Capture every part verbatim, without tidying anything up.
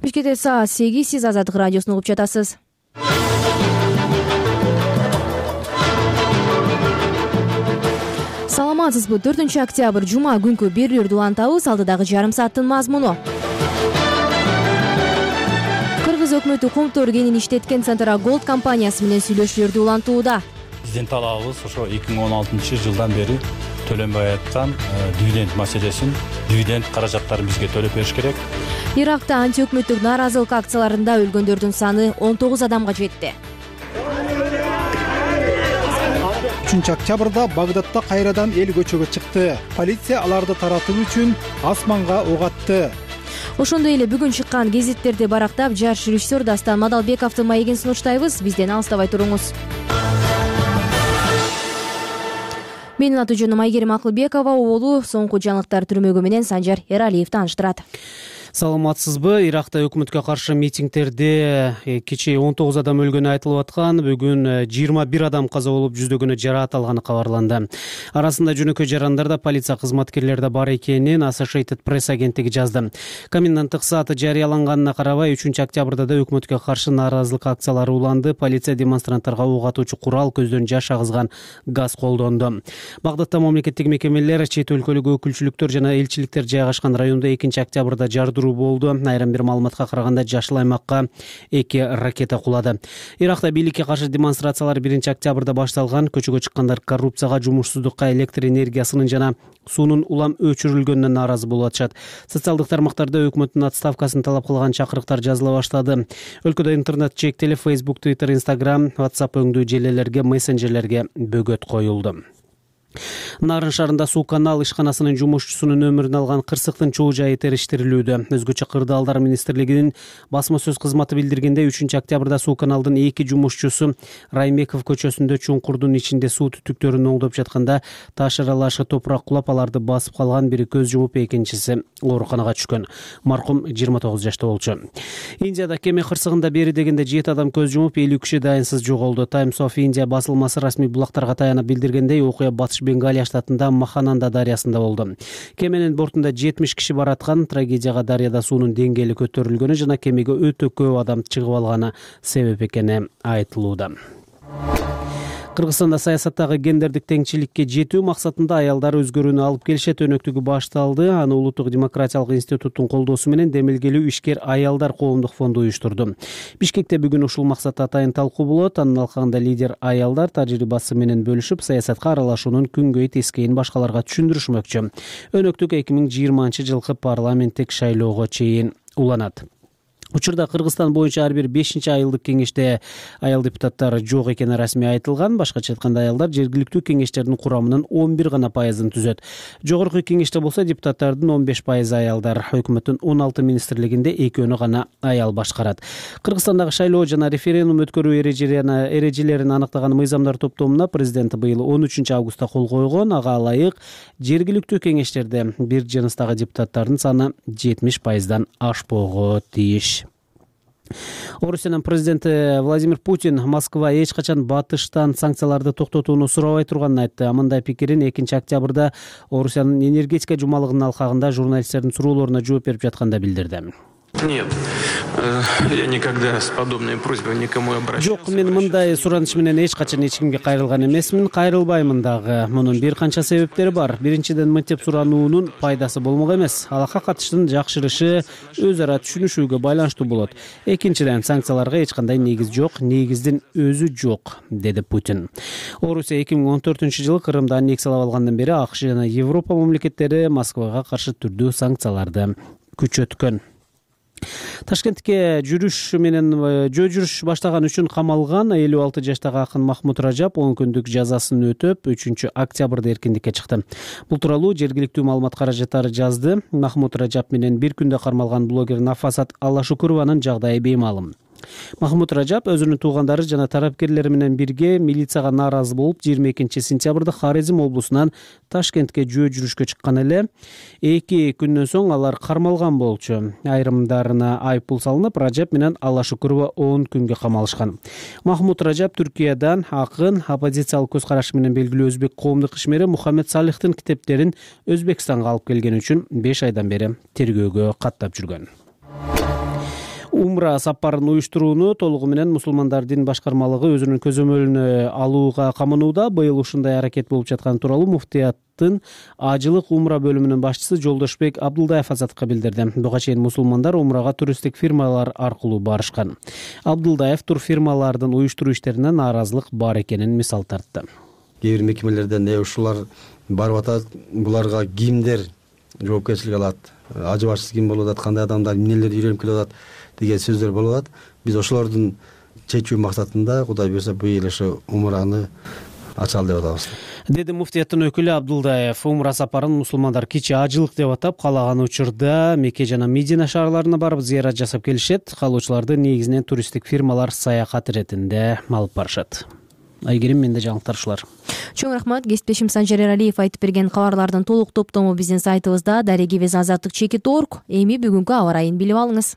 Бишкекте саат сегиз, сиз Азаттык радиосун угуп жатасыз. Саламатсызбы? төртүнчү октябрь жума күнкү берүүлөрдү улантабыз. Алдыдагы жарым сааттын мазмуну. Кыргыз өкмөтү Кумтор кенин иштеткен Центра Голд компаниясы менен сүйлөшүүлөрдү улантууда. Биздин талабыбыз ошо эки миң он алтынчы жылдан бери төлөнбөй аткан дивиденд маселесин, дивиденд каражаттарын бизге төлөп бериш керек. Иракта антиөкмөттүк нааразылык акцияларында өлгөндөрдүн саны он тогуз адамга жетти. үчүнчү октябрда Багдадта кайрадан эл көчөгө чыкты. Полиция аларды таратуу үчүн асманга ок атты. Ошондой эле бүгүн чыккан гезиттерди барактап, жаш режиссер Дастан Мадалбековдун маегин сунуштайбыз. Бизден алыстабай туруңуз. Менин аты-жөнүм Айгерим Акылбекова. Оолу соңку жаңылыктар түрмөгү менен Санжар Эралиев тааныштырат. Саламатсызбы? Иракта өкмөткө каршы митингдерде кечээ он тогуз адам өлгөнү айтылып аткан. Бүгүн жыйырма бир адам каза болуп, жүздөгөнү жараат алганы кабарланды. Арасында жөнөкөй жарандарда полиция кызматкерлери да бар экенин Associated Press агенттиги жазды. Коменданттык сааты жарыяланганына карабай, үчүнчү октябрда да өкмөткө каршы нааразылык акциялары уланды. Полиция демонстранттарга ок атуучу курал, көздөн жаш агызган газ колдонду. Багдадта мамлекеттик мекемелер, чет өлкөлүк өкүлчүлүктөр жана элчиликтер жайгашкан райондо экинчи октябрда жардыруу болду. Айрым бир маалыматка караганда жашыл аймакка эки ракета кулады. Иракта бийликке каршы демонстрациялар биринчи октябрда башталган. Көчөгө чыккандар коррупцияга, жумушсуздукка, электр энергиясынын жана суунун улам өчүрүлгөнүнө нааразы болуп атышат. Социалдык тармактарда өкмөттүн отставкасын талап кылган чакырыктар жазыла баштады. Өлкөдө интернет чектелип, Facebook, Twitter, Instagram, WhatsApp өңдүү желелерге, мессенджерлерге бөгөт коюлду. Нарын шаарында суу канал ишканасынын жумушчусунун өмүрүн алган кырсыктын чоо жайы териштирилүүдө. Өзгөчө кырдаалдар министрлигинин басма сөз кызматы билдиргенде, үчүнчү октябрда суу каналдын эки жумушчусу Раймеков көчөсүндө чуңкурдун ичинде суу түтүктөрүн оңдоп жатканда таш аралашы топурак кулап, аларды басып калган. Бири көз жумуп, экинчиси ооруканага түшкөн. Маркум жыйырма тогуз жашта болчу. Индияда кеме кырсыгында бери дегенде жети адам көз жумуп, элүү киши дайынсыз жоголду. Times of India басылмасы расмий булактарга таянып билдиргендей, окуя Батыш Бенгалия штатында Махананда дарыясында болду. Кеменин бортунда жетимиш киши бараткан. Трагедияга дарыяда суунун деңгээли көтөрүлгөнү жана кемеге өтө көп адам чыгып алганы себеп экени айтылууда. Кыргызстанда саясаттагы гендердик теңчиликке жетүү максатында аялдар өзгөрүүнү алып келишет өнөктүгү башталды. Аны Улуттук демократиялык институттун колдоосу менен Демилгелүү ишкер аялдар коомдук фонду уюштурду. Бишкекте бүгүн ушул максатта атайын талкуу болот. Анын алкагында лидер аялдар тажрыйбасы менен бөлүшүп, саясатка аралашуунун күнгөй тескейин башкаларга түшүндүрүшмөкчү. Өнөктүк эки миң жыйырманчы жылкы парламенттик шайлоого чейин уланат. Учурда Кыргызстан боюнча ар бир бешинчи айылдык кеңеште аял депутаттар жок экени расмий айтылган. Башкача айтканда, аялдар жергиликтүү кеңештердин курамынын он бир гана пайызын түзөт. Жогорку кеңеште болсо депутаттардын он беш пайызы аялдар. Өкмөттүн он алты министрлигинде экөөнү гана аял башкарат. Кыргызстандагы шайлоо жана референдум өткөрүү эрежелерин аныктаган мыйзамдар топтомуна президент быйыл он үчүнчү августта кол койгон. Ага ылайык жергиликтүү кеңештерде бир жыныстагы депутаттардын саны жетимиш пайыздан ашпоого тийиш. Орусиянын президенти Владимир Путин Москва эч качан батыштан санкцияларды токтотууну сурабай турганын айтты. Мындай пикирин экинчи октябрда Орусиянын энергетика жумалыгынын алкагында журналисттердин суроолоруна жооп берип жатканда билдирди. Нет, я никогда с подобной просьбой никому обращался. Жок, мен мындай сураныш менен эч качан эч кимге кайрылган эмесмин, кайрылбаймын дагы. Мунун бир канча себептери бар. Биринчиден, мынтип сурануунун пайдасы болмок эмес. Алакка катыштын жакшырышы өз ара түшүнүшүүгө байланыштуу болот. Экинчиден, санкцияларга эч кандай негиз жок, негиздин өзү жок, деди Путин. Орусия эки миң он төртүнчү жылы Крымды аннексиялап алгандан бери АКШ жана Европа мамлекеттери Москвага каршы түрдүү санкцияларды күчөткөн. Ташкентке жүрүш менен жөө жүрүш баштаган үчүн камалган элүү алты жаштагы акын Махмут Ражап он күндүк жазасын өтөп, үчүнчү октябрда эркиндикке чыкты. Бул тууралуу жергиликтүү маалымат каражаттары жазды. Махмут Ражап менен бир күндө кармалган блогер Нафасат Аллашукурованын жагдайы беймалым. Махмут Ражап өзүнүн туугандары жана тарапкерлери менен бирге милицияга нааразы болуп, жыйырма экинчи сентябрда Хорезм облусунан Ташкентке жөө жүрүшкө чыккан эле. Эки күндөн соң алар кармалган болчу. Айрымдарына айыппул салынып, Ражап менен Аллашукурова он күнгө камалышкан. Махмут Ражап Түркиядан акын, оппозициялык көз карашы менен белгилүү өзбек коомдук ишмери Мухаммед Салихтин китептерин Өзбекстанга алып келген үчүн беш айдан бери тергөөгө каттап жүргөн. Умра сапарын уюштурууну толугу менен мусулмандар дин башкармалыгы өзүнүн көзөмөлүнө алууга каманууда. Быйыл ушундай аракет болуп жатканы тууралуу муфтияттын ажылык умра бөлүмүнүн башчысы Жолдошбек Абдулдаев Азаттыкка билдирди. Буга чейин мусулмандар умрага туристтик фирмалар аркылуу барышкан. Абдулдаев турфирмалардын уюштуруу иштерине нааразылык бар экенин мисал тартты. Кээ бир мекемелерден не ушулар барып атат, буларга кимдер жоопкерчилик алат, ажы башчысы ким болуп атат, кандай адамдар эмнелерди үйрөнүп келип атат деген сөздөр болуп атат. Биз ошолордун чечүү максатында Кудай буйрса быйыл ошо умраны ачалы деп атабыз, деди муфтияттын өкүлү Абдулдаев. Умра сапарын мусулмандар кичи ажылык деп атап, каалаган учурда Мекке жана Медина шаарларына барып зыярат жасап келишет. Калуучуларды негизинен туристтик фирмалар саякат иретинде алып барышат. Айгерим, менде жаңылыктар ушулар. Чоң рахмат. Кесиптешим Санжар Эралиев айтып берген кабарлардын толук топтому биздин сайтыбызда дарегибиз азаттык чекит точка орг. Эми бүгүнкү аба ырайын билип алыңыз.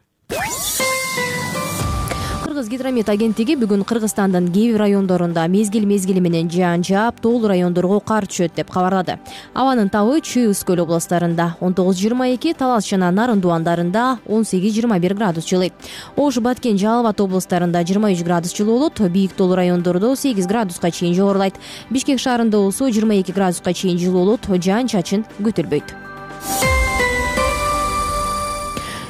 Кыргыз гидромет агенттиги бүгүн Кыргызстандын кээ бир райондорунда мезгил мезгили менен жаан жаап, тоол райондорго кар түшөт деп кабарлады. Абанын табы Чүй, Үскөл областарында он тогуз жыйырма эки, Талас жана Нарын дуандарында он сегиз жыйырма бир градус жылый. Ош, Баткен, Жалал Абад областарында жыйырма үч градус жылуу болот. Бийик тоол райондордо сегиз градуска чейин жогорулайт. Бишкек шаарында болсо жыйырма эки градуска чейин жылуу болот. Жаан-чачын күтүлбөйт.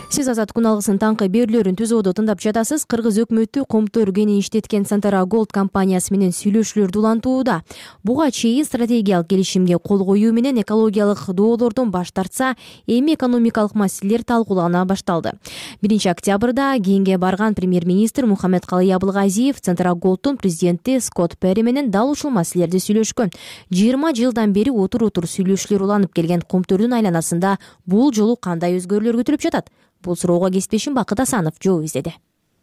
Сиз Азат күн алгысын таңкы берүүлөрүн түзүүдө тыңдап жатасыз. Кыргыз өкмөтү Комтор кени иштеткен Сантара Голд компаниясы менен сүйлөшүүлөр улантууда. Буга чейин стратегиялык келишимге кол коюу менен экологиялык доолордон баш тартса, эми экономикалык маселелер талкуулана башталды. биринчи октябрда кенге барган премьер-министр Мухаммедкалый Абылгазиев Сантара Голдтун президенти Скотт Перри менен дал ушул маселелерди сүйлөшкөн. жыйырма жылдан бери отур-отур сүйлөшүүлөр уланып келген Комтордун айланасында бул жолу кандай өзгөрүүлөр күтүлүп жатат? Бул суроого кесиптешим Бакыт Асанов жооп издеди.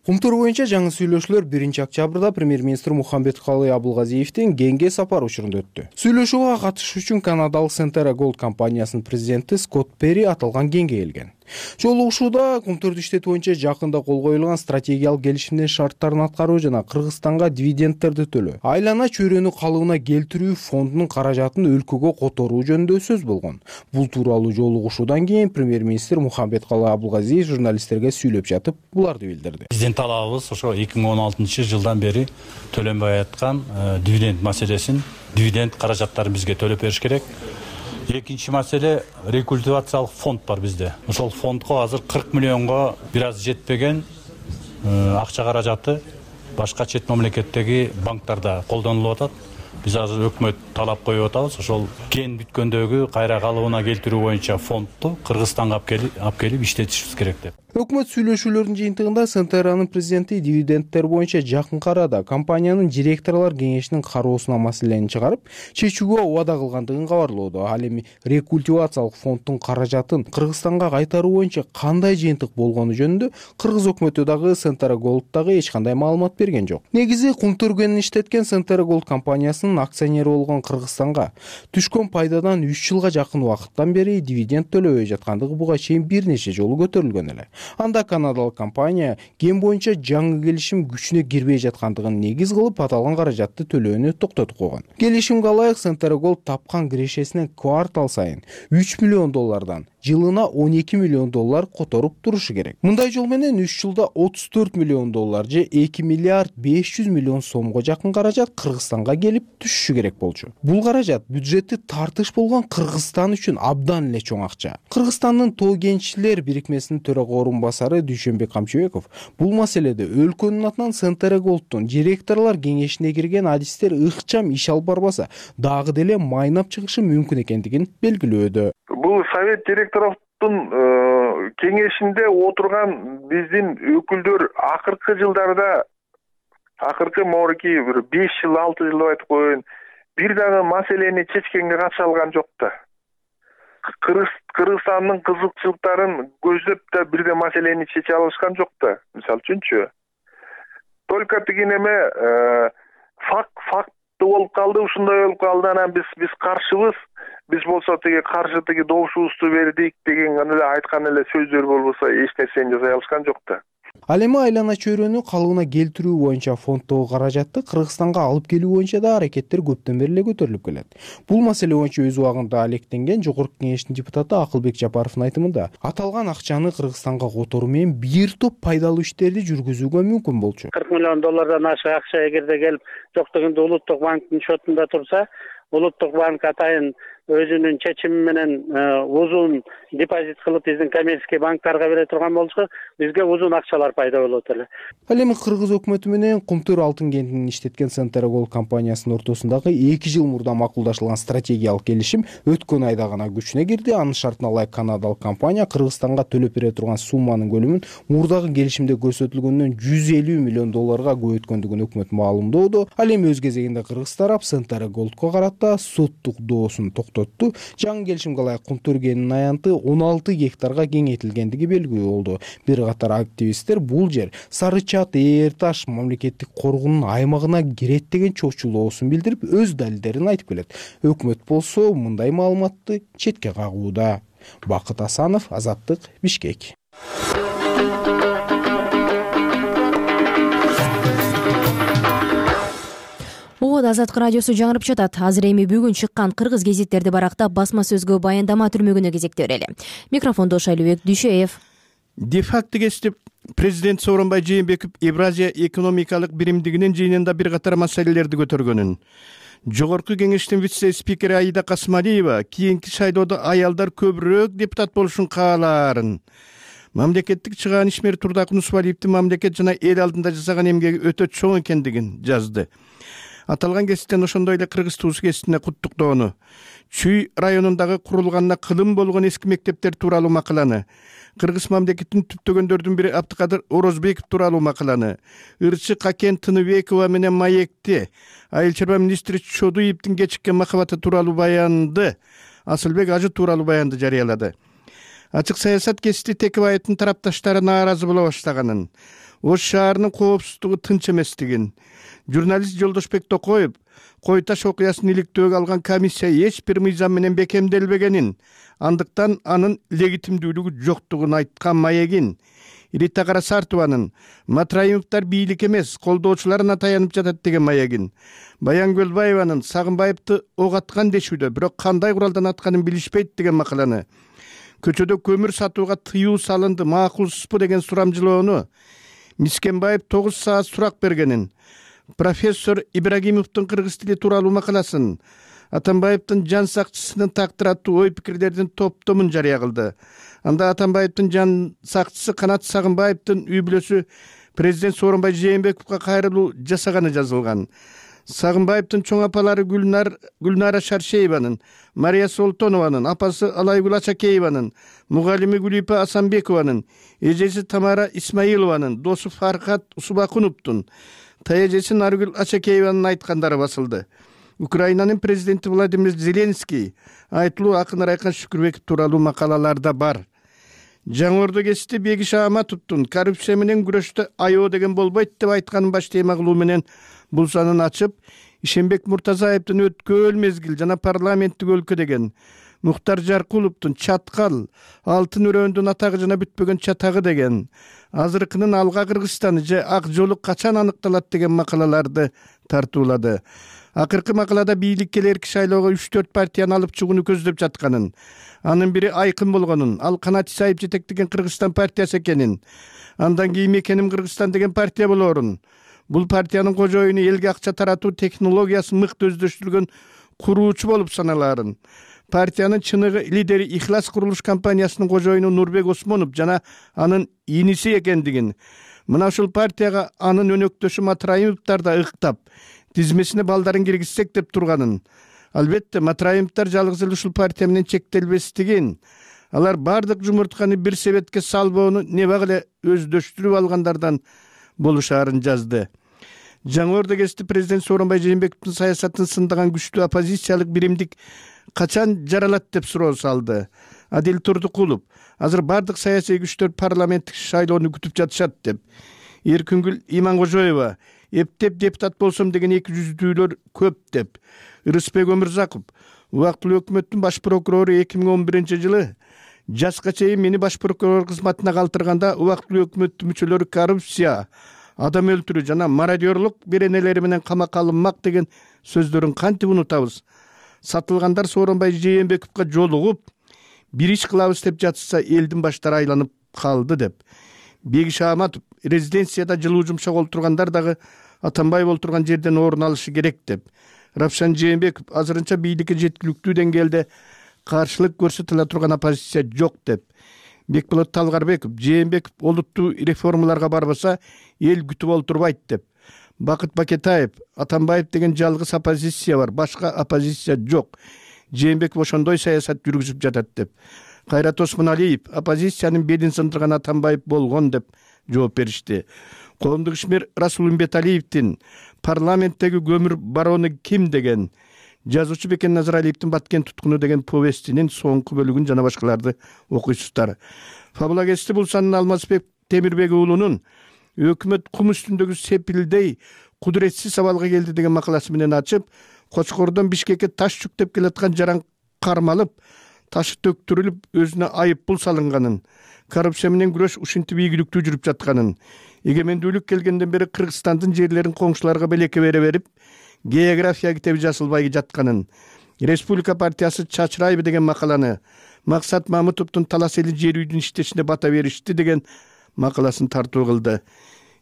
Комтор боюнча жаңы сүйлөшүүлөр биринчи октябрда премьер-министр Мухаммедкалый Абылгазиевдин кенге сапар учурунда өттү. Сүйлөшүүгө катышуу үчүн канадалык Сантара Голд компаниясынын президенти Скотт Перри аталган кенге келген. Жолугушууда Комторду иштетүү боюнча жакында кол коюлган стратегиялык келишимдин шарттарын аткаруу жана Кыргызстанга дивидендтерди төлөө, айлана чөйрөнү калыбына келтирүү фондунун каражатын өлкөгө которуу жөнүндө сөз болгон. Бул тууралуу жолугушуудан кийин премьер-министр Мухаммедкалый Абылгазиев журналисттерге сүйлөп жатып буларды билдирди. Биздин талабыбыз ошо эки миң он алтынчы жылдан бери төлөнбөй аткан дивиденд маселесин, дивиденд каражаттарын бизге төлөп бериш керек. Экинчи маселе, рекультивациялык фонд бар бизде. Ошол фондко азыр кырк миллионго бир аз жетпеген акча каражаты башка чет мамлекеттеги банктарда колдонулуп атат. Биз азыр өкмөт талап коюп атабыз. Ошол кен бүткөндөгү кайра калыбына келтирүү боюнча фондду Кыргызстанга алып келип иштетишибиз керек деп. Өкмөт сүйлөшүүлөрүнүн жыйынтыгында Сантаранын президенти дивидендтер боюнча жакынкы арада компаниянын директорлор кеңешинин кароосуна маселени чыгарып, чечүүгө убада кылгандыгын кабарлоодо. Ал эми рекультивациялык фонддун каражатын Кыргызстанга кайтаруу боюнча кандай жыйынтык болгону жөнүндө Кыргыз өкмөтү дагы Сантара Голд дагы эч кандай маалымат берген жок. Негизи Комтор кенин иштеткен Сантара Голд компаниясынын акционери болгон Кыргызстанга түшкөн пайдадан үч жылга жакын убакыттан бери дивиденд төлөбөй жаткандыгы буга чейин бир нече жолу көтөрүлгөн эле. Анда канадалык компания кен боюнча жаңы келишим күчүнө кирбей жаткандыгын негиз кылып аталган каражатты төлөөнү токтотуп койгон. Келишимге ылайык Сантара Голд тапкан кирешесинен квартал сайын үч миллион доллардан жылына он эки миллион доллар которуп турушу керек. Мындай жол менен үч жылда отуз төрт миллион доллар же эки миллиард беш жүз миллион сомго жакын каражат Кыргызстанга келип түшүшү керек болчу. Бул каражат бюджетти тартыш болгон Кыргызстан үчүн абдан эле чоң акча. Кыргызстандын тоо кенчилер бирикмесинин төрага орунбасары Дүйшөнбек Камчыбеков бул маселеде өлкөнүн атынан Сантара Голдтун директорлор кеңешине кирген адистер ыкчам иш алып барбаса, дагы деле майнап чыгышы мүмкүн экендигин белгилөөдө. Бул совет директорлордун кеңешинде отурган биздин өкүлдөр акыркы жылдарда, акыркы морки бир беш жыл, алты жыл деп айтып коеюн, бир дагы маселени чечкенге катыша алган жок да. Кыргызстандын кызыкчылыктарын көздөп да бир да маселени чече алышкан жок да. Мисалы үчүнчү, только тигинеме факт факт болуп калды, ушундай болуп калды, анан биз биз каршыбыз, биз болсо тиги каршы тиги добушубузду бердик деген эле айткан эле сөздөр болбосо эч нерсени жасай алышкан жок да. Ал эми айлана чөйрөнү калыбына келтирүү боюнча фонддогу каражатты Кыргызстанга алып келүү боюнча да аракеттер көптөн бери эле көтөрүлүп келет. Бул маселе боюнча өз убагында алектенген Жогорку Кеңештин депутаты Акылбек Жапаровдун айтымында, аталган акчаны Кыргызстанга которуу менен бир топ пайдалуу иштерди жүргүзүүгө мүмкүн болчу. кырк миллион доллардан ашык акча эгерде келип жок дегенде Улуттук банктын счетунда турса, Улуттук банк атайын өзүнүн чечими менен узун депозит кылып биздин коммерческий банктарга бере турган болчу, бизге узун акчалар пайда болот эле. Ал эми Кыргыз өкмөтү менен Кумтөр алтын кентин иштеткен Центра Голд компаниясынын ортосундагы эки жыл мурда макулдашылган стратегиялык келишим өткөн айда гана күчүнө кирди. Анын шартына ылайык канадалык компания Кыргызстанга төлөп бере турган сумманын көлөмүн мурдагы келишимде көрсөтүлгөндөн жүз элүү миллион долларга көбөйткөндүгүн өкмөт маалымдоодо. Ал эми өз кезегинде кыргыз тарап Центра Голдко карата соттук доосун токтотту. Жаңы келишимге ылайык Кумтөр кенинин аянты он алты гектарга кеңейтилгендиги белгилүү болду. Бир катар активисттер бул жер Сары Чат, Ээр Таш мамлекеттик коргоонун аймагына кирет деген чочулоосун билдирип, өз далилдерин айтып келет. Өкмөт болсо мындай маалыматты четке кагууда. Бакыт Асанов, Азаттык, Бишкек. Угуд Азаттык радиосу жаңырып жатат. Азыр эми бүгүн чыккан кыргыз гезиттерди барактап басма сөзгө баяндама түрмөгүнө кезекте берели. Микрофондо Шайлыбек Дүйшөев. Де-факто кесип президент Сооронбай Жээнбеков Евразия экономикалык биримдигинин жыйынында бир катар маселелерди көтөргөнүн, Жогорку Кеңештин вице-спикери Аида Касмалиева кийинки шайлоодо аялдар көбүрөөк депутат болушун каалаарын, мамлекеттик чыгаан ишмер Турдакун Усмалиевдин мамлекет жана эл алдында жасаган эмгеги өтө чоң экендигин жазды. Аталган кесиптен ошондой эле Кыргыз туусу кесиптине куттуктоону, Чүй районундагы курулганына кылым болгон эски мектептер тууралуу макаланы, Кыргыз мамлекетин түптөгөндөрдүн бири Абдыкадыр Орозбеков тууралуу макаланы, ырчы Какен Тыныбекова менен маекти, айыл чарба министри Чодуевдин кечиккен махабаты тууралуу баянды, Асылбек Ажы тууралуу баянды жарыялады. Ачык саясат кесипти Текебаевдин тарапташтары нааразы боло баштаганын, Ош шаарынын коопсуздугу тынч эместигин, журналист Жолдошбек Токоев Кой Таш окуясын иликтөөгө алган комиссия эч бир мыйзам менен бекемделбегенин, андыктан анын легитимдүүлүгү жоктугун айткан маегин, Рита Карасартованын Матраимовдор бийлик эмес, колдоочуларына таянып жатат деген маегин, Баян Көлбаеванын Сагынбаевди ок аткан дешүүдө, бирок кандай куралдан атканын билишпейт деген макаланы, көчөдө көмүр сатууга тыюу салынды, макулсузбу деген сурамжылоону, Мискенбаев тогуз саат сурак бергенин, профессор Ибрагимовдун кыргыз тили тууралуу макаласын, Атамбаевдин жан сакчысынын тактыры аттуу ой пикирлердин топтомун жарыя кылды. Анда Атамбаевдин жан сакчысы Канат Сагынбаевдин үй бүлөсү президент Сооронбай Жээнбековго кайрылуу жасаганы жазылган. Сагынбаевдин чоң апалары Гүлнар Гүлнара Шаршееванын, Мария Солтонованын, апасы Алайгүл Ачакееванын, мугалими Гүлипа Асанбекованын, эжеси Тамара Исмаилованын, досу Фархат Усубакуновдун, таяжеси Наргүл Ачакееванын айткандары басылды. Украинанын президенти Владимир Зеленский айтылуу акын Райкан Шүкүрбеков тууралуу макалалар да бар. Жаңы Ордо кесипти Бегиш Ааматовдун коррупция менен күрөштө аяоо деген болбойт деп айтканын баш тема кылуу менен бул санын ачып, Ишенбек Муртазаевдин өткөл мезгил жана парламенттик өлкө деген, Мухтар Жаркуловдун Чаткал, Алтын өрөөндүн атагы жана бүтпөгөн чатагы деген, азыркынын Алга Кыргызстаны же Ак жолу качан аныкталат деген макалаларды тартуулады. Акыркы макалада бийликке эрки шайлоого үч төрт партияны алып чыгууну көздөп жатканын, анын бири айкын болгонун, ал Канат Исаев жетектеген Кыргызстан партиясы экенин, андан кийин Мекеним Кыргызстан деген партия болоорун, бул партиянын кожоюну элге акча таратуу технологиясын мыкты өздөштүргөн куруучу болуп саналаарын, партиянын чыныгы лидери Ихлас курулуш компаниясынын кожоюну Нурбек Осмонов жана анын иниси экендигин, мына ушул партияга анын өнөктөшү Матраимовдор да ыктап, тизмесине балдарын киргизсек деп турганын, албетте Матраимовдор жалгыз эле ушул партия менен чектелбестигин, алар бардык жумуртканы бир себетке салбоону небак эле өздөштүрүп алгандардан болушаарын жазды. Жаңы Ордо кесипти президент Сооронбай Жээнбековдун саясатын сындаган күчтүү оппозициялык биримдик качан жаралат деп суроо салды. Адил Турдукулов азыр бардык саясий күчтөр парламенттик шайлоону күтүп жатышат деп. Эркүнгүл Иманкожоева эптеп депутат болсом деген эки жүздүүлөр көп деп. Ырысбек Өмүрзаков убактылуу өкмөттүн баш прокурору эки миң он биринчи жылы Жашка чейин мени баш прокурор кызматына калтырганда убактылуу өкмөт мүчөлөрү коррупция, адам өлтүрүү жана мародерлук беренелери менен камакка алынмак деген сөздөрүн кантип унутабыз? Сатылгандар Сооронбай Жээнбековго жолугуп, бир иш кылабыз деп жатышса, элдин баштары айланып калды деп. Бегиш Аматов резиденцияда жылуу жумшак олтургандар дагы Атамбаев олтурган жерден орун алышы керек деп. Равшан Жээнбеков азырынча бийликке жеткиликтүү деңгээлде каршылык көрсөтүлө турган оппозиция жок деп. Бекболот Талгарбеков Жээнбеков олуттуу реформаларга барбаса, эл күтүп олтурбайт деп. Бакыт Бакетаев Атамбаев деген жалгыз оппозиция бар, башка оппозиция жок. Жээнбеков ошондой саясат жүргүзүп жатат деп. Кайрат Осмоналиев оппозициянын белин сындырган Атамбаев болгон деп жооп беришти. Коомдук ишмер Расул Умбеталиевдин парламенттеги көмүр барону ким деген, жазуучу Бекен Назаралиевдин Баткен туткуну деген повестинин соңку бөлүгүн жана башкаларды окуйсуздар. Фабулагести Булсанын Алмазбек Темирбек уулунун өкмөт кум үстүндөгү сепилдей кудуретсиз абалга келди деген макаласы менен ачып, Кочкордон Бишкекке таш жүктөп келаткан жаран кармалып, ташы төктүрүлүп, өзүнө айып бул салынганын, коррупция менен күрөш ушинтип ийгиликтүү жүрүп жатканын, эгемендүүлүк келгенден бери Кыргызстандын жерлерин коңшуларга белекке бере берип, география китеби жазылбай жатканын, Республика партиясы чачырайбы деген макаланы, Максат Мамытовдун талас эли жер үйдүн иштешине бата беришти деген макаласын тартуу кылды.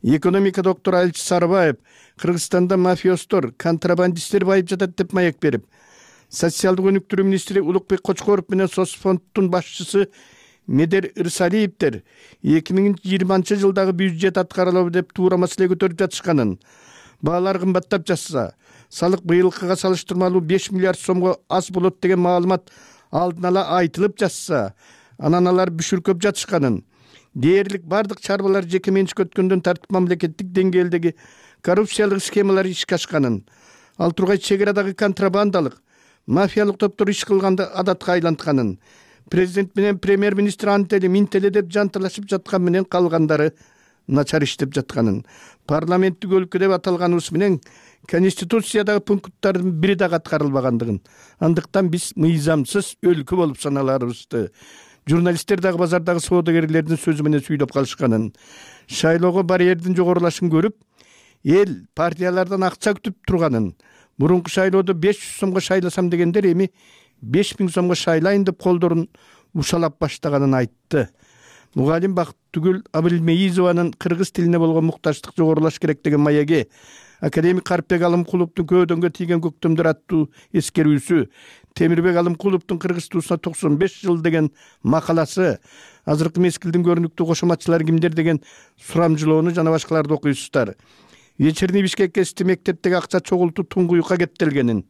Экономика доктору Алчы Сарыбаев Кыргызстанда мафиостор, контрабандисттер байып жатат деп маек берип, социалдык өнүктүрүү министри Улукбек Кочкоров менен Соцфонддун башчысы Медер Ырсалиевдер эки миң жыйырманчы жылдагы бюджет аткарылабы деп туура маселе көтөрүп жатышканын, баалар кымбаттап жатса, салык быйылкыга салыштырмалуу беш миллиард сомго аз болот деген маалымат алдын ала айтылып жатса, анан алар бүшүркөп жатышканын, дээрлик бардык чарбалар жеке менчикке өткөндөн тартып мамлекеттик деңгээлдеги коррупциялык схемалар ишке ашканын, ал тургай чек арадагы контрабандалык, мафиялык топтор иш кылганды адатка айлантканын, президент менен премьер-министр антели минтеле деп жанталашып жаткан менен калгандары начар иштеп жатканын, парламенттик өлкө деп аталганыбыз менен Конституциядагы пункттардын бири дагы аткарылбагандыгын, андыктан биз мыйзамсыз өлкө болуп саналарыбызды, журналисттер дагы базардагы соодагерлердин сөзү менен сүйлөп калышканын, шайлоого барьердин жогорулашын көрүп, эл партиялардан акча күтүп турганын, мурунку шайлоодо беш жүз сомго шайласам дегендер эми беш миң сомго шайлайын деп колдорун ушалап баштаганын айтты. Мугалим Бактыгүл Абылмеизованын кыргыз тилине болгон муктаждык жогорулаш керек деген маеги, академик Карпбек Алымкуловдун көөдөнгө тийген көктөмдөр аттуу эскерүүсү, Темирбек Алымкуловдун кыргыз туусуна токсон беш жыл деген макаласы, азыркы мезгилдин көрүнүктүү кошоматчылары кимдер деген сурамжылоону жана башкаларды окуйсуздар. Вечерний Бишкек кести мектептеги акча чогултуу туңгуюкка кеттелгенин,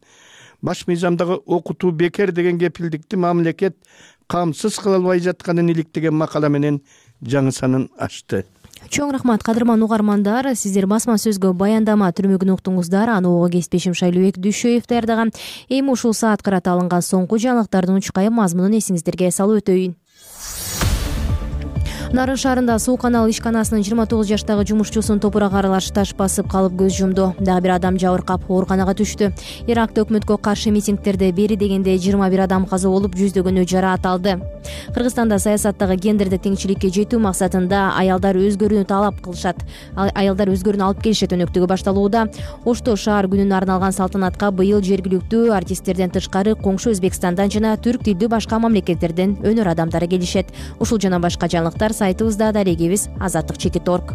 баш мыйзамдагы окутуу бекер деген кепилдикти мамлекет камсыз кыла албай жатканын иликтеген макала менен жаңы санын ачты. Чоң рахмат, кадырман угармандар. Сиздер басма сөзгө баяндама түрмөгүн уктуңуздар. Аны ого кесипбешим Шайлообек Дүйшөев даярдаган. Эми ушул саат кырата алынган соңку жаңылыктардын учкай мазмунун эсиңиздерге салып өтөйүн. Нарын шаарында суу канал ишканасынын жыйырма тогуз жаштагы жумушчусун топурак аралаш таш басып калып көз жумду. Дагы бир адам жабыркап ооруканага түштү. Иракта өкмөткө каршы митингдерде бери дегенде жыйырма бир адам каза болуп, жүздөгөнү жараат алды. Кыргызстанда саясаттагы гендердик теңчиликке жетүү максатында аялдар өзгөрүүнү талап кылышат. Аялдар өзгөрүүнү алып келишет өнөктүгү башталууда. Ошто шаар күнүнө арналган салтанатка быйыл жергиликтүү артисттерден тышкары коңшу Өзбекстандан жана түрк тилдүү башка мамлекеттерден өнөр адамдары келишет. Ушул жана башка жаңылыктар сайтыбызда дарегибиз азаттык чекит точка орг.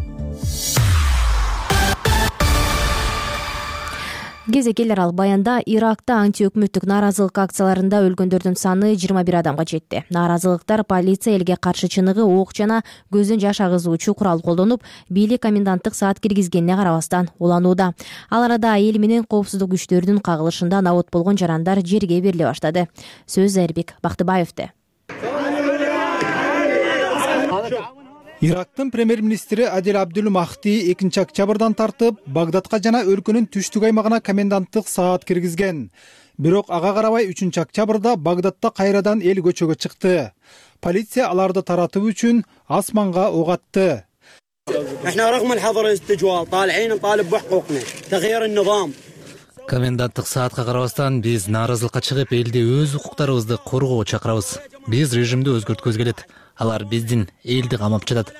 Кезекелер ал баянда Иракта антиөкмөттүк нааразылык акцияларында өлгөндөрдүн саны жыйырма бир адамга жетти. Нааразылыктар полиция элге каршы чыныгы, ок жана көздөн жаш агызуучу курал колдонуп, бийлик коменданттык саат киргизгенине карабастан уланууда. Ал арада эл менен коопсуздук күчтөрүнүн кагылышында набут болгон жарандар жерге бериле баштады. Сөз Эрбек Бактыбаевде. Ирактын премьер-министри Адил Абдул Махди экинчи октябрдан тартып Багдадка жана өлкөнүн түштүк аймагына коменданттык саат киргизген. Бирок ага карабай үчүнчү октябрда Багдадта кайрадан эл көчөгө чыкты. Полиция аларды таратуу үчүн асманга ок атты. Коменданттык саатка карабастан биз нааразылыкка чыгып, элди өз укуктарыбызды коргоого чакырабыз. Биз режимди өзгөрткүбүз келет. Алар биздин элди камап жатат.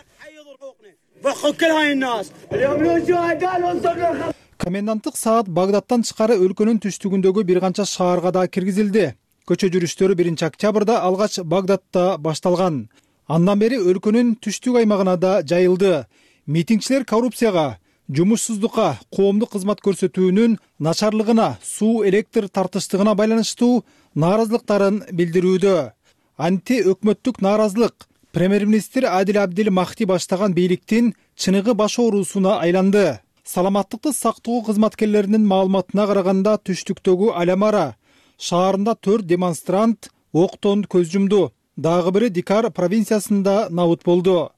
Коменданттык саат Багдадтан тышкары өлкөнүн түштүгүндөгү бир канча шаарга да киргизилди. Көчө жүрүштөрү биринчи октябрда алгач Багдадта башталган. Андан бери өлкөнүн түштүк аймагына да жайылды. Митингчилер коррупцияга, жумушсуздукка, коомдук кызмат көрсөтүүнүн начарлыгына, суу электр тартыштыгына байланыштуу нааразылыктарын билдирүүдө. Анти өкмөттүк нааразылык премьер-министр Адил Абдил Махти баштаган бийликтин чыныгы баш оорусуна айланды. Саламаттыкты сактоо кызматкерлеринин маалыматына караганда, түштүктөгү Алямара шаарында төрт демонстрант октон көз жумду. Дагы бири Дикар провинциясында набыт болду.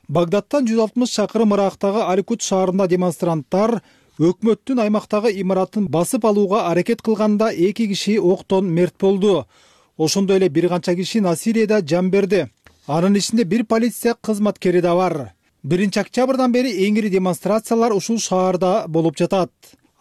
Багдадтан жүз алтымыш чакырым ырактагы Аликут шаарында демонстранттар өкмөттүн аймактагы имаратын басып алууга аракет кылганда эки киши октон мерт болду. Ошондой эле бир канча киши насилияда жан берди. Анын ичинде бир полиция кызматкери да бар. биринчи октябрдан бери эң ири демонстрациялар ушул шаарда болуп жатат.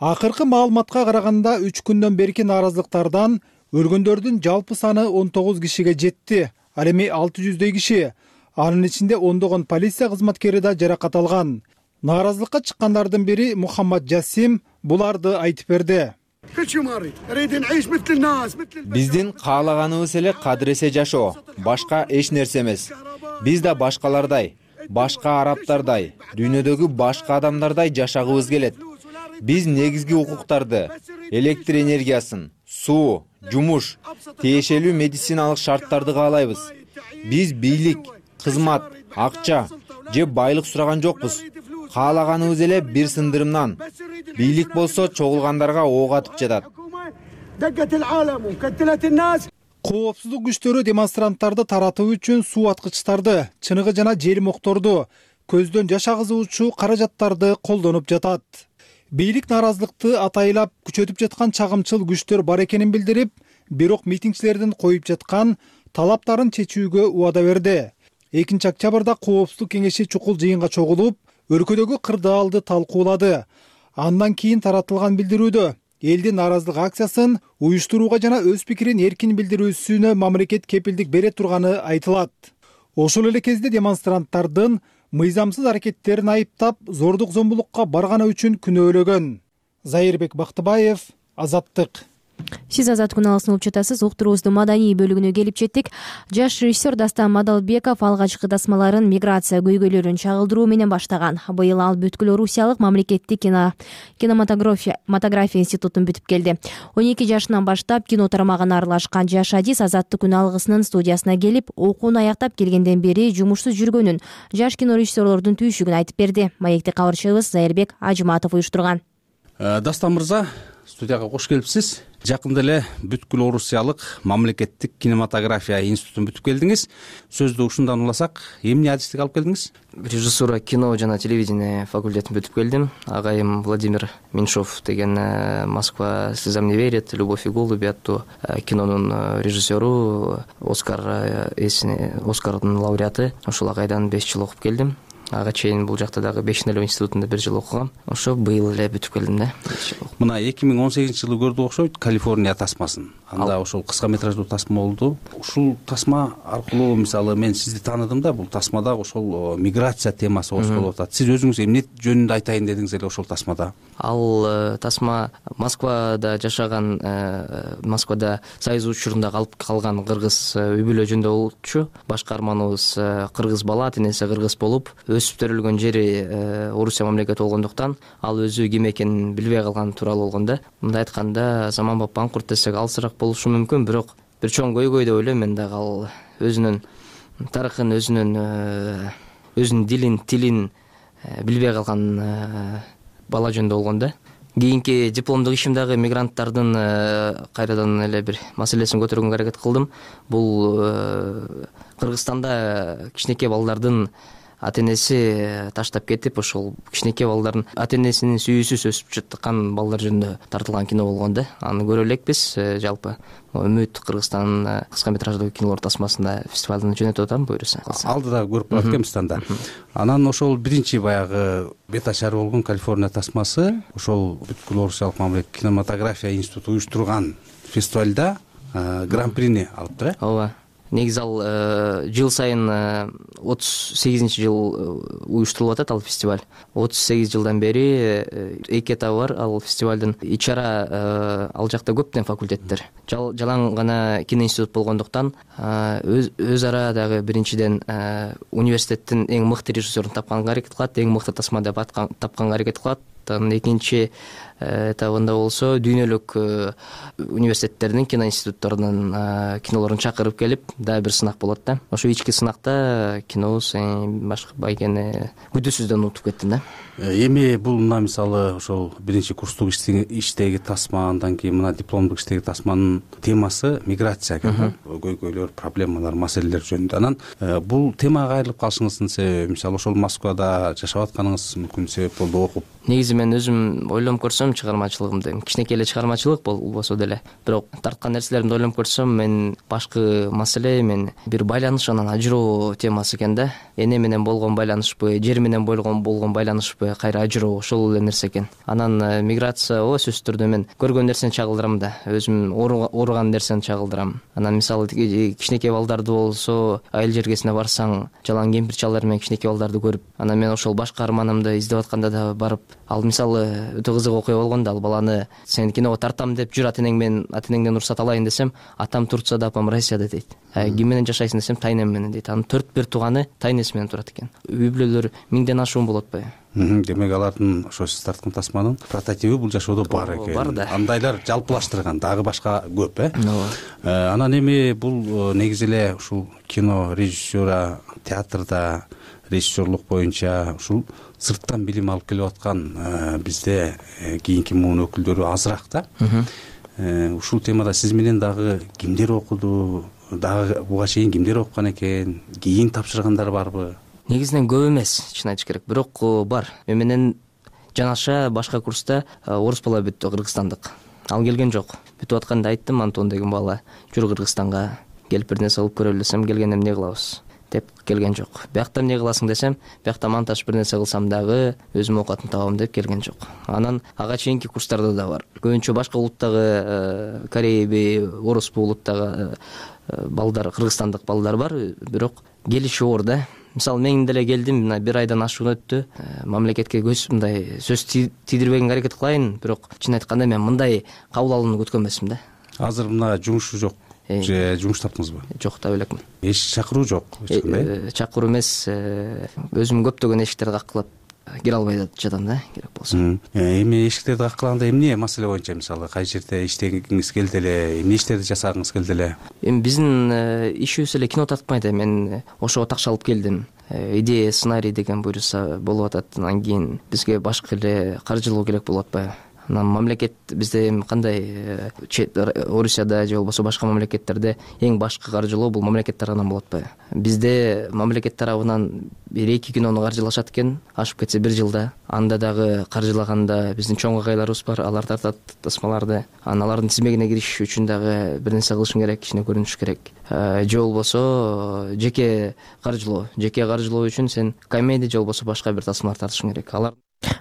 Акыркы маалыматка караганда үч күндөн берки нааразылыктардан өлгөндөрдүн жалпы саны он тогуз кишиге жетти. Ал эми алты жүздөй киши, анын ичинде ондогон полиция кызматкери да жаракат алган. Нааразылыкка чыккандардын бири Мухаммад Жасим буларды айтып берди. Биздин каалаганыбыз эле кадыресе жашоо, башка эч нерсе эмес. Биз да башкалардай, башка арабтардай, дүйнөдөгү башка адамдардай жашагыбыз келет. Биз негизги укуктарды, электр энергиясын, суу, жумуш, тиешелүү медициналык шарттарды каалайбыз. Биз бийлик, кызмат, акча же байлык сураган жокпуз. Каалаганыбыз эле бир сындырымдан. Бийлик болсо чогулгандарга ок атып жатат. Коопсуздук күчтөрү демонстранттарды таратуу үчүн суу аткычтарды, чыныгы жана желмокторду, көздөн жаш агызуучу каражаттарды колдонуп жатат. Бийлик нааразылыкты атайлап күчөтүп жаткан чагымчыл күчтөр бар экенин билдирип, бирок митингчилердин коюп жаткан талаптарын чечүүгө убада берди. экинчи октябрда Коопсуздук кеңеши чукул жыйынга чогулуп, өлкөдөгү кырдаалды талкуулады. Андан кийин таратылган билдирүүдө элдин нааразылык акциясын уюштурууга жана өз пикирин эркин билдирүүсүнө мамлекет кепилдик бере турганы айтылат. Ошол эле кезде демонстранттардын мыйзамсыз аракеттерин айыптап, зордук зомбулукка барганы үчүн күнөөлөгөн. Зайырбек Бактыбаев, Азаттык. Сиз Азат күналысын угуп жатасыз. Уктуруубуздун маданий бөлүгүнө келип жеттик. Жаш режиссер Дастан Мадалбеков алгачкы тасмаларын миграция көйгөйлөрүн чагылдыруу менен баштаган. Быйыл ал бүткүл Орусиялык мамлекеттик кино кинематография институтун бүтүп келди. он эки жашынан баштап кино тармагына аралашкан жаш адис Азаттык күналыгысынын студиясына келип, окууну аяктап келгенден бери жумушсуз жүргөнүн, жаш кино режиссерлордун түйшүгүн айтып берди. Маекти кабарчыбыз Зайырбек Ажыматов уюштурган. Дастан мырза, студияга кош келипсиз. Жакында эле бүткүл Орусиялык мамлекеттик кинематография институтун бүтүп келдиңиз. Сөздү ушундан уласак, эмне адистик алып келдиңиз? Режиссура кино жана телевидение факультетин бүтүп келдим. Агайым Владимир Меньшов деген Москва слезам не верит, Любовь и голуби аттуу кинонун режиссеру, Оскар эсине, Оскардын лауреаты. Ошол агайдан беш жыл окуп келдим. Ага чейин бул жакта дагы Бешнелөө институтунда бир жыл окугам. Ошо быйыл эле бүтүп келдим да. Мына эки миң он сегизинчи жылы көрдүк окшойт Калифорния тасмасын. Анда ошол кыска метраждуу тасма болду. Ушул тасма аркылуу мисалы мен сизди тааныдым да, бул тасмада ошол миграция темасы козголуп атат. Сиз өзүңүз эмне жөнүндө айтайын дедиңиз эле ошол тасмада? Ал тасма Москвада жашаган, Москвада Союз учурунда калып калган кыргыз үй бүлө жөнүндө болчу. Башкарманыбыз кыргыз бала, атенеси кыргыз болуп, өсүп төрөлгөн жери Орусия мамлекети болгондуктан ал өзү ким экенин билбей калган тууралуу болгон да. Мындай айтканда, заманбап панкурт десек алсыраак болушу мүмкүн, бирок бир чоң көйгөй деп ойлойм мен дагы. Ал өзүнүн тарыхын, өзүнүн өзүнүн дилин, тилин билбей калган бала жөнүндө болгон да. Кийинки дипломдук ишим дагы мигранттардын кайрадан эле бир маселесин көтөргөнгө аракет кылдым. Бул Кыргызстанда кичинекей балдардын ата энеси таштап кетип ошол кичинекей балдардын ата энесинин сүйүүсүз өсүп жаткан балдар жөнүндө тартылган кино болгон да. Аны көрө элекпиз. Жалпы Үмүт Кыргызстандын кыска метраждуу кинолор тасмасында фестивалдын жөнөтүп атам, буюрса. Алдыда көрүп калат экенбиз танда. Анан ошол биринчи баягы бет ачары болгон Калифорния тасмасы ошол бүткүл Орусиялык мамлекеттик кинематография институту уюштурган фестивалда гран-прини алыптыр э. Ооба. Негизи ал жыл сайын отуз сегизинчи жыл уюштурулуп атат ал фестиваль. отуз сегиз жылдан бери эки этабы бар ал фестивалдын. Ичара ал жакта көптөн факультеттер. Жалаң гана киноинститут болгондуктан өз ара дагы биринчиден университеттин эң мыкты режиссерун тапканга аракет кылат, эң мыкты тасма деп тапканга аракет кылат. Экинчи этабында болсо дүйнөлүк университеттердин киноинституттарынын кинолорун чакырып келип дагы бир сынак болот да. Ошо ички сынакта кинобуз башка байкени күдүүсүздөн унутуп кеттим да. Эми бул мына мисалы ошол биринчи курстук иштеги тасма, андан кийин мына дипломдук иштеги тасманын темасы миграция экен. Көйгөйлөр, проблемалар, маселелер жөнүндө. Анан бул темага кайрылып калышыңыздын себеби, мисалы ошол Москвада жашап атканыңыз мүмкүн себеп болду, окуп. Негизи мен өзүм ойлонуп көрсөм чыгармачылыгымды, кичинекей эле чыгармачылык болбосо деле, бирок тарткан нерселеримди ойлонуп көрсөм, мен башкы маселе мен бир байланыш анан ажыроо темасы экен да. Эне менен болгон байланышпы, жер менен болгон болгон байланышпы, кайра ажыроо, ошол эле нерсе экен. Анан миграция ооба сөзсүз түрдө мен көргөн нерсени чагылдырам да, өзүм ооруган нерсени чагылдырам. Анан мисалы кичинекей балдарды болсо, айыл жергесине барсаң, жалаң кемпир чалдар менен кичинекей балдарды көрүп, анан мен ошол башка арманымды издеп атканда да барып, ал мисалы өтө кызык окуя болгон да, ал баланы сени киного тартам деп жүр ата энең менен, ата энеңден уруксат алайын десем, атам Турцияда, апам Россияда дейт. Ким менен жашайсың десем, тайнем менен дейт. Анын төрт бир тууганы тайнеси менен турат экен. Үй бүлөлөр миңден ашуун болот атпайбы? Демек алардын ошо сиз тарткан тасманын прототиби бул жашоодо бар экен. Бар да. Андайлар жалпылаштырган дагы башка көп э. Анан эми бул негизи эле ушул кино режиссера, театрда режиссерлук боюнча ушул сырттан билим алып келип аткан бизде кийинки муун өкүлдөрү азыраак да. Ушул темада сиз менен дагы кимдер окуду, дагы буга чейин кимдер окуган экен, кийин тапшыргандар барбы? Негизинен көп эмес, чын айтыш керек, бирок бар. Мен менен жанаша башка курста орус бала бүттү, кыргызстандык. Ал келген жок. Бүтүп атканда айттым, Антон деген бала, жүр Кыргызстанга, келип бир нерсе алып көрөлү десем, келгенде эмне кылабыз деп келген жок. Биякта эмне кыласың десем, биякта монтаж бир нерсе кылсам дагы өзүм оокатын табам деп келген жок. Анан ага чейинки курстарда да бар. Көбүнчө башка улуттагы, Корейби, орусбу улуттагы балдар, кыргызстандык балдар бар, бирок келиши оор да. Мисалы мен деле келдим, мына бир айдан ашуун өттү. Мамлекетке көз мындай сөз тийдирбегенге аракет кылайын, бирок чын айтканда мен мындай кабыл алууну күткөн эмесмин да. Азыр мына жумушу жок. Же жумуш таптыңызбы? Жок, таба элекмин. Эч чакыруу жок, эч кандай? Чакыруу эмес, өзүм көптөгөн эшиктерди каккылап кире албай жатам да, керек болсо. Эми эшиктерди каккылаганда эмне маселе боюнча, мисалы кай жерде иштегиңиз келди эле, эмне иштерди жасагыңыз келди эле? Эми биздин ишибиз эле кино тартпайт. Мен ошого такша алып келдим. Идея, сценарий деген буюрса болуп атат. Анан кийин бизге башка эле каржылоо керек болуп атпайбы? Анан мамлекет бизде эми кандай, Орусияда же болбосо башка мамлекеттерде эң башкы каржылоо бул мамлекет тарабынан болот атпайбы? Бизде мамлекет тарабынан бир эки кинону каржылашат экен, ашып кетсе бир жылда. Анда дагы каржылаганда биздин чоң агайларыбыз бар, алар тартат тасмаларды. Анан алардын тизмегине кириш үчүн дагы бир нерсе кылышың керек, кичине көрүнүш керек. Же болбосо жеке каржылоо, жеке каржылоо үчүн сен комедия же болбосо башка бир тасмалар тартышың керек. Алар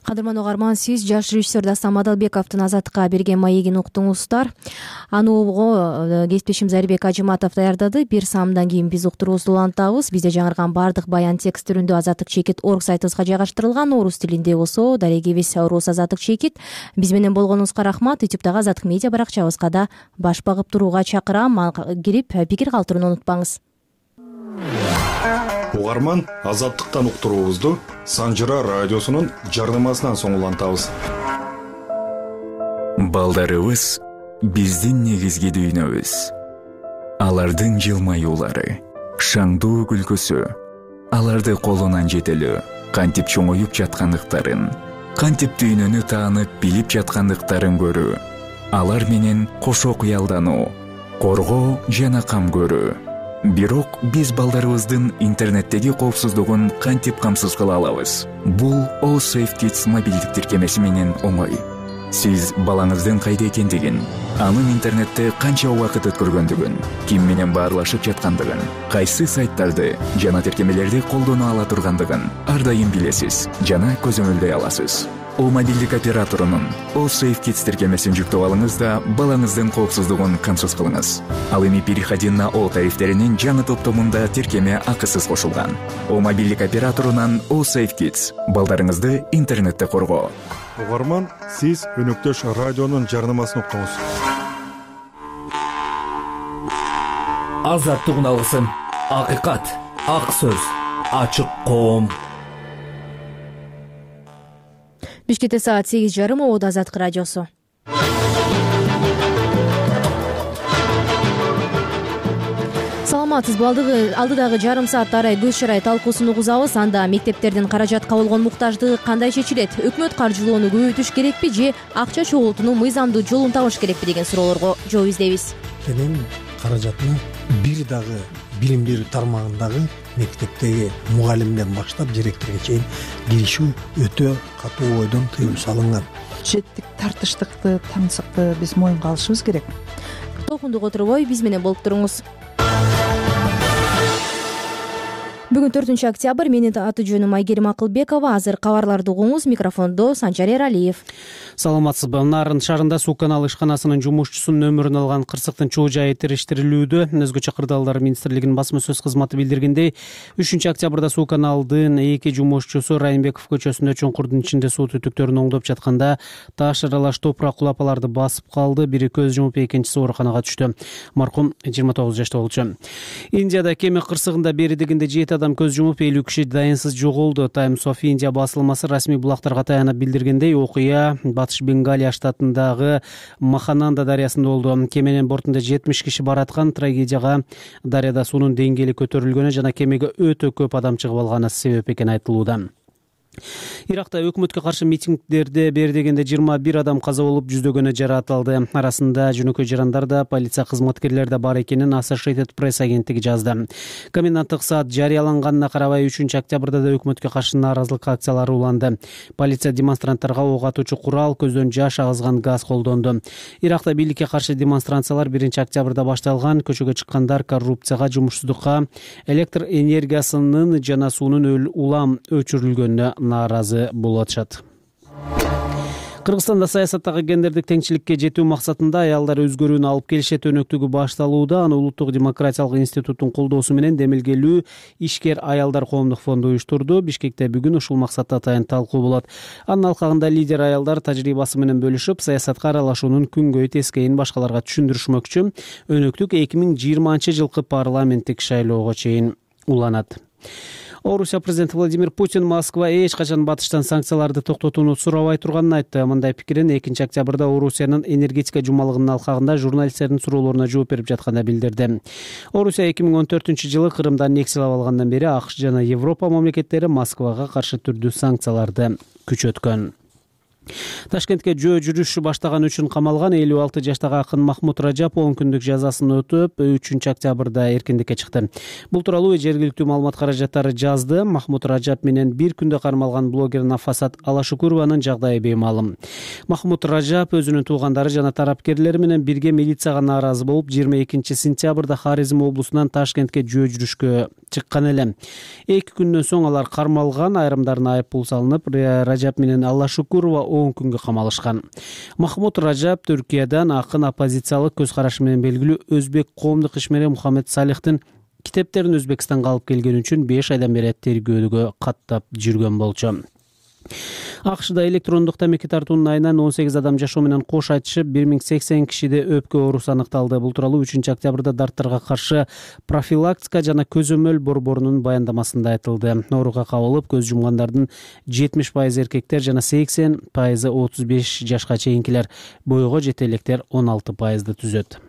Кадырман угарман, сиз жаш режиссер Дастан Мадалбековдун Азаттыкка берген маегин уктуңуздар. Аны угууга кесиптешим Зарибек Ажыматов даярдады. Бир саамдан кийин биз уктуруубузду улантабыз. Бизде жаңырган бардык баян текст түрүндө Азаттык чекит орг сайтыбызга жайгаштырылган. Орус тилинде болсо дарегибиз Орус Азаттык чекит. Биз менен болгонуңузга рахмат. ютубтагы Азаттык медиа баракчабызга да баш багып турууга чакырам. Кирип пикир калтырууну унутпаңыз. Угарман, Азаттыктан уктуруубузду Санжыра радиосунун жарнамасынан соң улантабыз. Балдарыбыз биздин негизги дүйнөбүз. Алардын жылмаюулары, шаңдуу күлкүсү, аларды колунан жетелөө, кантип чоңоюп жаткандыктарын, кантип дүйнөнү таанып билип жаткандыктарын көрүү, алар менен кошо кыялдануу, коргоо жана кам көрүү. бирок биз балдарыбыздын интернеттеги коопсуздугун кантип камсыз кыла алабыз? Бул Allsafe Kids мобилдик тиркемеси менен оңой. Сиз балаңыздын кайда экендигин, анын интернетте канча убакыт өткөргөндүгүн, ким менен баарлашып жаткандыгын, кайсы сайттарды жана тиркемелерди колдоно ала тургандыгын ар дайым билесиз жана көзөмөлдөй аласыз. О мобилдик операторунун Allsafe Kids тиркемесин жүктөп алыңыз да балаңыздын коопсуздугун камсыз кылыңыз. Ал эми переходи на О тарифтеринин жаңы топтомунда тиркеме акысыз кошулган. О мобилдик операторунан Allsafe Kids балдарыңызды интернетте коргоо. Угарман, сиз өнөктөш радионун жарнамасын уктуңуз. Азаттык уналгысын, акыйкат, ак сөз, ачык коом. Бишкекте саат сегиз жарым, Обод Азаттык радиосу. Саламатсызбы? Алдыдагы жарым саатта арай көз шарай талкуусун угузабыз. Анда мектептердин каражатка болгон муктаждыгы кандай чечилет? Өкмөт каржылоону көбөйтүш керекпи же акча чогултуунун мыйзамдуу жолун табыш керекпи деген суроолорго жооп издейбиз. Менин каражатына бир дагы билим берүү тармагындагы мектептеги мугалимден баштап директорго чейин киришүү өтө катуу бойдон тыюу салынган. Бюджеттик тартыштыкты, таңсыкты биз моюнга алышыбыз керек. Толкундук отурбой биз менен болуп туруңуз. Бүгүн төртүнчү октябрь. Менин аты жөнүм Айгерим Акылбекова. Азыр кабарларды угуңуз. Микрофондо Санжар Эралиев. Саламатсызбы? Нарын шаарында суу каналы ишканасынын жумушчусунун өмүрүн алган кырсыктын чоо жайы териштирилүүдө. Өзгөчө кырдаалдар министрлигинин басма сөз кызматы билдиргендей, үчүнчү октябрда суу каналдын эки жумушчусу Райымбеков көчөсүндө чуңкурдун ичинде суу түтүктөрүн оңдоп жатканда таш аралаш топурак кулап аларды басып калды. Бири көз жумуп, экинчиси ооруканага түштү. Маркум жыйырма тогуз жашта болчу. Индияда кеме кырсыгында бери дегенде жети адам көз жумуп, элүү киши дайынсыз жоголду. Times of India басылмасы расмий булактарга таянып билдиргендей, окуя Батыш Бенгалия штатындагы Махананда дарыясында болду. Кеменин бортунда жетимиш киши бараткан. Трагедияга дарыяда суунун деңгээли көтөрүлгөнү жана кемеге өтө көп адам чыгып алганы себеп экени айтылууда. Иракта өкмөткө каршы митингдерде бери дегенде жыйырма бир адам каза болуп, жүздөгөнү жаракат алды. Арасында жөнөкөй жарандар да, полиция кызматкерлери да бар экенин Associated Press агенттиги жазды. Коменданттык саат жарыяланганына карабай үчүнчү октябрда да өкмөткө каршы нааразылык акциялары уланды. Полиция демонстранттарга ок атуучу курал, көздөн жаш агызган газ колдонду. Иракта бийликке каршы демонстрациялар биринчи октябрда башталган. Көчөгө чыккандар коррупцияга, жумушсуздукка, электр энергиясынын жана суунун улам өчүрүлгөнүнө нааразы болуп атышат. Кыргызстанда саясаттагы гендердик теңчиликке жетүү максатында аялдар өзгөрүүнү алып келишет өнөктүгү башталууда. Аны Улуттук демократиялык институттун колдоосу менен Демилгелүү ишкер аялдар коомдук фонду уюштурду. Бишкекте бүгүн ушул максатта атайын талкуу болот. Анын алкагында лидер аялдар тажрыйбасы менен бөлүшүп, саясатка аралашуунун күнгөй тескейин башкаларга түшүндүрүшмөкчү. Өнөктүк эки миң жыйырманчы жылкы парламенттик шайлоого чейин уланат. Орусия президенти Владимир Путин Москва эч качан батыштан санкцияларды токтотууну сурабай турганын айтты. Мындай пикирин экинчи октябрда Орусиянын энергетика жумалыгынын алкагында журналисттердин суроолоруна жооп берип жатканда билдирди. Орусия эки миң он төртүнчү жылы Крымдан аннексиялап алгандан бери АКШ жана Европа мамлекеттери Москвага каршы түрдүү санкцияларды күчөткөн. Ташкентке жөө жүрүш баштаган үчүн камалган элүү алты жаштагы акын Махмут Ражап он күндүк жазасын өтөп, үчүнчү октябрда эркиндикке чыкты. Бул тууралуу жергиликтүү маалымат каражаттары жазды. Махмут Ражап менен бир күндө кармалган блогер Нафасат Алашукурованын жагдайы беймаалым. Махмут Ражап өзүнүн туугандары жана тарапкерлери менен бирге милицияга нааразы болуп, жыйырма экинчи сентябрда Харизм облусунан Ташкентке жөө жүрүшкө чыккан эле. Эки күндөн соң алар кармалган, айрымдарына айып пул салынып, Ражап менен Алашукурова он күнгө камалышкан. Махмут Ражап Түркиядан акын оппозициялык көз карашы менен белгилүү өзбек коомдук ишмери Мухаммед Салихтин китептерин Өзбекстанга алып келгени үчүн беш айдан бери тергөөгө каттап жүргөн болчу. АКШда электрондук тамеки тартуунун айынан он сегиз адам жашоо менен кош айтышып, бир миң сексен кишиде өпкө оорусу аныкталды. Бул тууралуу үчүнчү октябрда дарттарга каршы профилактика жана көзөмөл борборунун баяндамасында айтылды. Ооруга кабылып, көз жумгандардын жетимиш пайызы эркектер жана сексен пайызы отуз беш жашка чейинкилер, бойго жете электер он алты пайызды түзөт.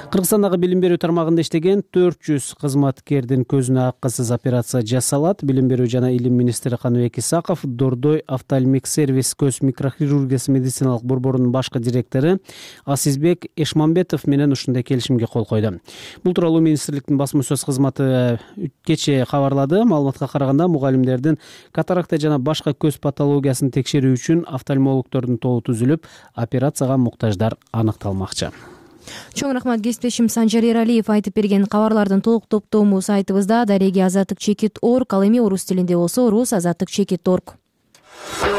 Кыргызстандагы билим берүү тармагында иштеген төрт жүз кызматкердин көзүнө акысыз операция жасалат. Билим берүү жана илим министри Каныбек Исаков Дордой офтальмик сервис көз микрохирургиясы медициналык борборунун башкы директору Асизбек Эшмамбетов менен ушундай келишимге кол койду. Бул тууралуу министрликтин басма сөз кызматы кечээ кабарлады. Маалыматка караганда мугалимдердин катаракта жана башка көз патологиясын текшерүү үчүн офтальмологдордун тобу түзүлүп, операцияга муктаждар аныкталмакчы. Чоң рахмат кесиптешим Санжар Эралиев айтып берген кабарлардын толук топтому сайтыбызда дареги азаттык чекит точка орг, ал эми орус тилинде болсо рус азаттык чекит точка орг.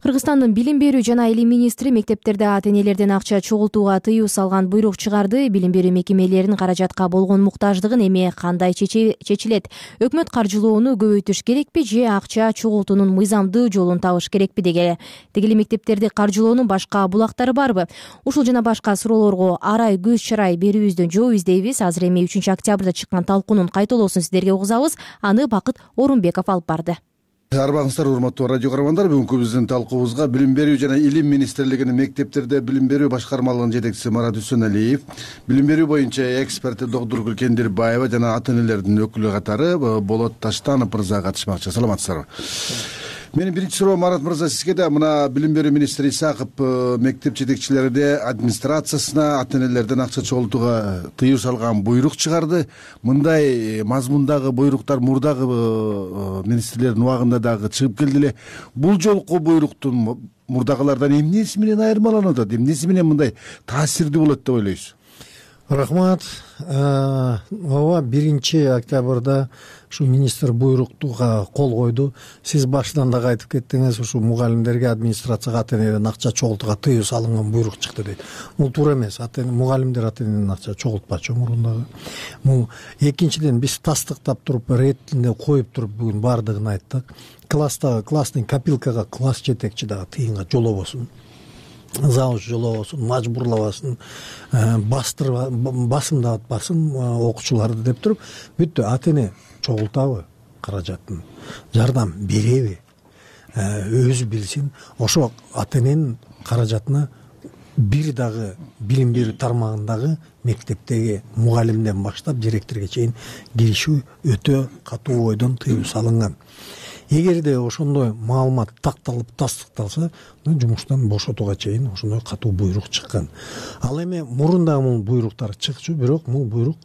Кыргызстандын билим берүү жана илим министри мектептерде ата-энелерден акча чогултууга тыюу салган буйрук чыгарды. Билим берүү мекемелеринин каражатка болгон муктаждыгын эми кандай чечилет? Өкмөт каржылоону көбөйтүш керекпи же акча чогултуунун мыйзамдуу жолун табыш керекпи деге дегеле мектептерди каржылоонун башка булактары барбы? Ушул жана башка суроолорго арай көз чарай берүүбүздөн жооп издейбиз. Азыр эми үчүнчү октябрда чыккан талкуунун кайталоосун сиздерге угузабыз. Аны Бакыт Орунбеков алып барды. Арбаңыздар, урматтуу радио көрөрмандар. Бүгүнкү биздин талкуубузга билим берүү жана илим министрлигинин мектептерде билим берүү башкармалыгынын жетекчиси Марат Үсөналиев, билим берүү боюнча эксперти доктур Гүлкендирбаева жана ата-энелердин өкүлү катары Болот Таштанов мырза катышмакчы. Саламатсыздарбы? Менин биринчи суроом Марат мырза сизге да. Мына билим берүү министри Исаков мектеп жетекчилерине администрациясына ата-энелерден акча чогултууга тыюу салган буйрук чыгарды. Мындай мазмундагы буйруктар мурдагы министрлердин убагында дагы чыгып келди эле. Бул жолку буйруктун мурдагылардан эмнеси менен айырмаланып атат? Эмнеси менен мындай таасирдүү болот деп ойлойсуз? Рахмат. Ооба, биринчи октябрда ушу министр буйруктууга кол койду. Сиз башынан дагы айтып кеттиңиз, ушу мугалимдерге администрацияга ата-энеден акча чогултууга тыюу салынган буйрук чыкты дейт. Бул туура эмес. Мугалимдер ата-энеден акча чогултпачу мурундагы. Бул экинчиден биз тастыктап туруп, ретинде коюп туруп бүгүн бардыгын айттык. Класстагы класстын копилкага класс жетекчи дагы тыйынга жолобосун. Завуч жолобосун, мажбурлабасын, бастырып басымдатпасын окуучуларды деп туруп, бүттү. Ата-эне чогултабы каражатын, жардам береби, өзү билсин. Ошо ата-эненин каражатына бир дагы билим берүү тармагындагы мектептеги мугалимден баштап директорго чейин киришүү өтө катуу бойдон тыюу салынган. Эгерде ошондой маалымат такталып тастыкталса, жумуштан бошотууга чейин ошондой катуу буйрук чыккан. Ал эми мурун дагы бул буйруктар чыкчу, бирок бул буйрук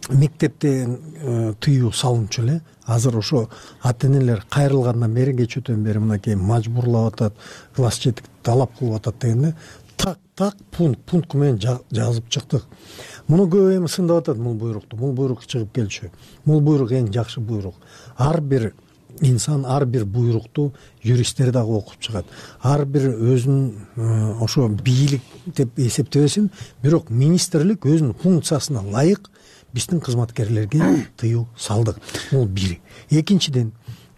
мектептен тыюу салынчу эле. Азыр ошо ата-энелер кайрылгандан бери, кечөөтөн бери мынакей мажбурлап атат, класс жетик талап кылып атат дегенде так так пункт пункт менен жазып чыктык. Муну көп эми сындап атат бул буйрукту. Бул буйрук чыгып келчү. Бул буйрук эң жакшы буйрук. Ар бир инсан ар бир буйрукту юристтер дагы окуп чыгат. Ар бир өзүнүн ошо бийлик деп эсептебесин, бирок министрлик өзүнүн функциясына ылайык биздин кызматкерлерге тыюу салдык. Бул бир. Экинчиден,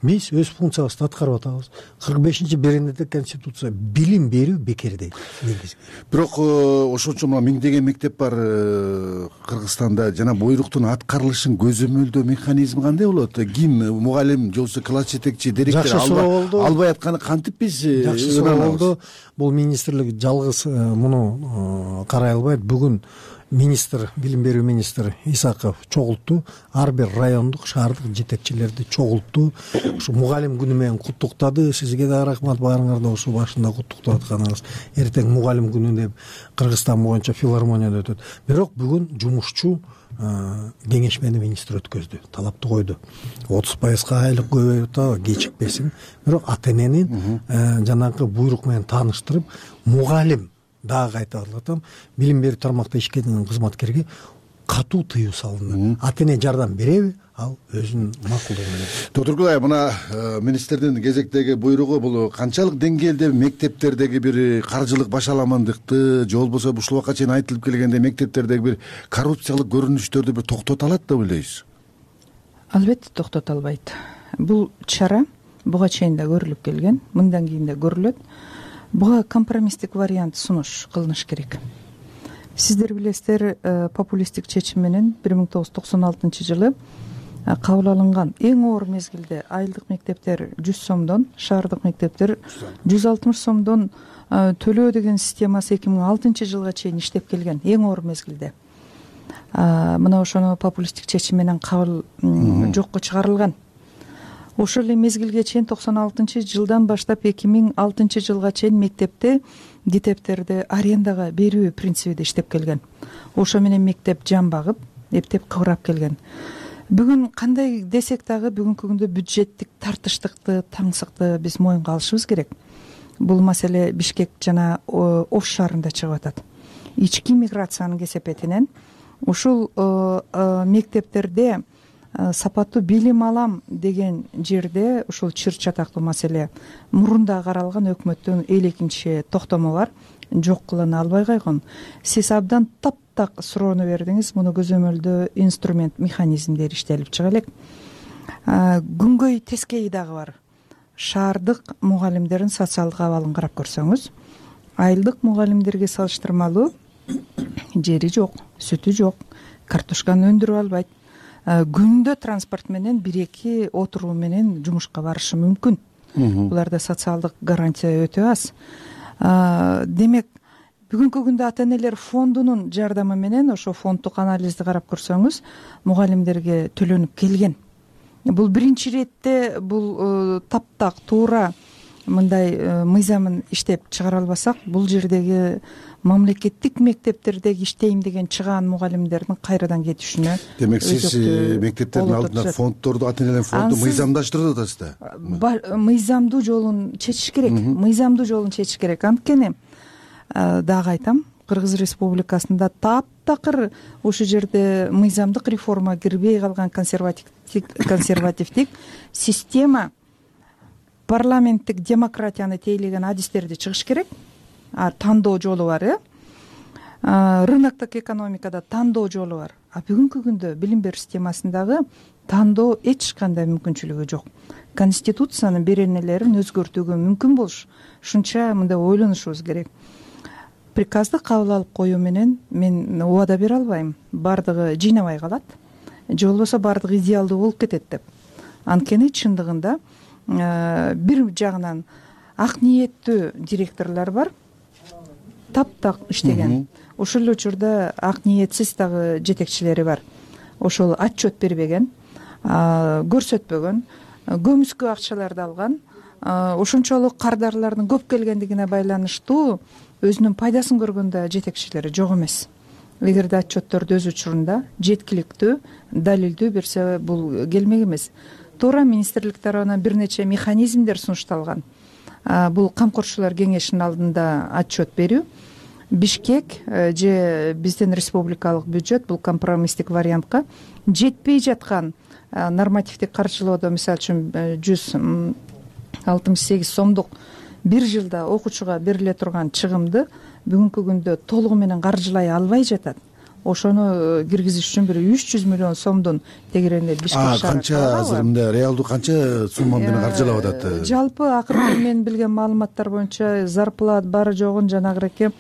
биз өз функциябызды аткарып атабыз. кырк бешинчи беренеде конституция билим берүү бекер дейт. Бирок ошончо мына миңдеген мектеп бар Кыргызстанда. Жана буйруктун аткарылышын көзөмөлдөө механизми кандай болот? Ким мугалим же болбосо класс жетекчи, директор албай атканы кантип биз жакшы суроо болду. Бул министрлик жалгыз муну карай албайт. Бүгүн министр, билим берүү министри Исаков чогултту, ар бир райондук, шаардык жетекчилерди чогултту. Ушу мугалим күнү менен куттуктады. Сизге да рахмат, баарыңарды ушу башында куттуктап атканыңыз. Эртең мугалим күнү деп Кыргызстан боюнча филармонияда өтөт. Бирок бүгүн жумушчу кеңешмени министр өткөздү, талапты койду. отуз пайызга айлык көбөйүп атабы, кечикпесин. Бирок ата-энени жанагы буйрук менен тааныштырып, мугалим дагы кайтып атам, билим берүү тармакта ишкерген кызматкерге катуу тыюу салынды. Ата-эне жардам береби? Ал өзүнүн макулдугу менен. Доктор Гүлай, мына министрдин кезектеги буйругу бул канчалык деңгээлде мектептердеги бир каржылык башаламандыкты же болбосо ушул убакка чейин айтылып келгенде мектептердеги бир коррупциялык көрүнүштөрдү бир токтото алат деп ойлойсуз? Албетте токтото албайт. Бул чара буга чейин да көрүлүп келген, мындан кийин да көрүлөт. Буга компромисстик вариант сунуш кылыныш керек. Сиздер билесиздер, популисттик чечим менен бир миң тогуз жүз токсон алтынчы жылы кабыл алынган. Эң оор мезгилде айылдык мектептер жүз сомдон, шаардык мектептер жүз алтымыш сомдон төлөө деген системасы эки миң алтынчы жылга чейин иштеп келген. Эң оор мезгилде мына ошону популисттик чечим менен кабыл жокко чыгарылган. Ошол эле мезгилге чейин токсон алтынчы жылдан баштап эки миң алтынчы жылга чейин мектепте китептерди арендага берүү принцибиде иштеп келген. Ошо менен мектеп жан багып, эптеп кыбырап келген. Бүгүн кандай десек дагы бүгүнкү күндө бюджеттик тартыштыкты, таңсыкты биз моюнга алышыбыз керек. Бул маселе Бишкек жана Ош шаарында чыгып атат. Ички миграциянын кесепетинен ушул мектептерде сапаттуу билим алам деген жерде ушул чыр чатактуу маселе мурунда каралган өкмөттүн элекинчи токтому бар, жок кылына албай койгон. Сиз абдан таптак суроону бердиңиз. Муну көзөмөлдөө инструмент, механизмдер иштелип чыга элек. Күнгөй тескейи дагы бар. Шаардык мугалимдердин социалдык абалын карап көрсөңүз, айылдык мугалимдерге салыштырмалуу жери жок, сүтү жок, картошканы өндүрүп албайт. Күндө транспорт менен бир эки отуруу менен жумушка барышы мүмкүн. Буларда социалдык гарантия өтө аз. Демек, бүгүнкү күндө ата энелер фондунун жардамы менен ошо фонддук анализди карап көрсөңүз, мугалимдерге төлөнүп келген. Бул биринчи иретте бул таптак туура мындай мыйзамын иштеп чыгара албасак, бул жердеги мамлекеттик мектептердеги иштейм деген чыгаан мугалимдердин кайрадан кетишине. Демек сиз мектептердин алдына фонддорду, ата энелердин фонду мыйзамдаштырып атасыз да? Мыйзамдуу жолун чечиш керек. Мыйзамдуу жолун чечиш керек. Анткени дагы айтам, Кыргыз Республикасында таптакыр ошол жерде мыйзамдык реформа кирбей калган консервативдик система, парламенттик демократияны тейлеген адистерди чыгыш керек. Тандоо жолу бар, э? Рыноктук экономикада тандоо жолу бар. А бүгүнкү күндө билим берүү системасындагы тандоо эч кандай мүмкүнчүлүгү жок. Конституциянын беренелерин өзгөртүүгө мүмкүн болуш, ушунча мындай ойлонушубуз керек. Приказды кабыл алып коюу менен мен убада бере албайм. Бардыгы жыйнабай калат, же болбосо бардыгы идеалдуу болуп кетет деп. Анткени чындыгында бир жагынан ак ниеттүү директорлор бар, таптак иштеген. Ошол эле учурда ак ниетсиз дагы жетекчилери бар. Ошол отчет бербеген, көрсөтпөгөн, көмүскө акчаларды алган, ошончолук кардарлардын көп келгендигине байланыштуу өзүнүн пайдасын көргөн да жетекчилери жок эмес. Эгерде отчетторду өз учурунда жеткиликтүү, далилдүү берсе, бул келмек эмес. Туура министрлик тарабынан бир нече механизмдер сунушталган. Бул камкорчулар кеңешинин алдында отчет берүү. Бишкек же биздин республикалык бюджет бул компромисстик вариантка жетпей жаткан нормативдик каржылоодо, мисалы үчүн жүз алтымыш сегиз сомдук бир жылда окуучуга бериле турган чыгымды бүгүнкү күндө толугу менен каржылай албай жатат. Ошону киргизиш үчүн бир үч жүз миллион сомдун тегерегинде Бишкек шаары. Канча азыр мындай реалдуу канча сумма менен каржылап атат? Жалпы акыркы мен билген маалыматтар боюнча зарплат бары жогун жанагыраки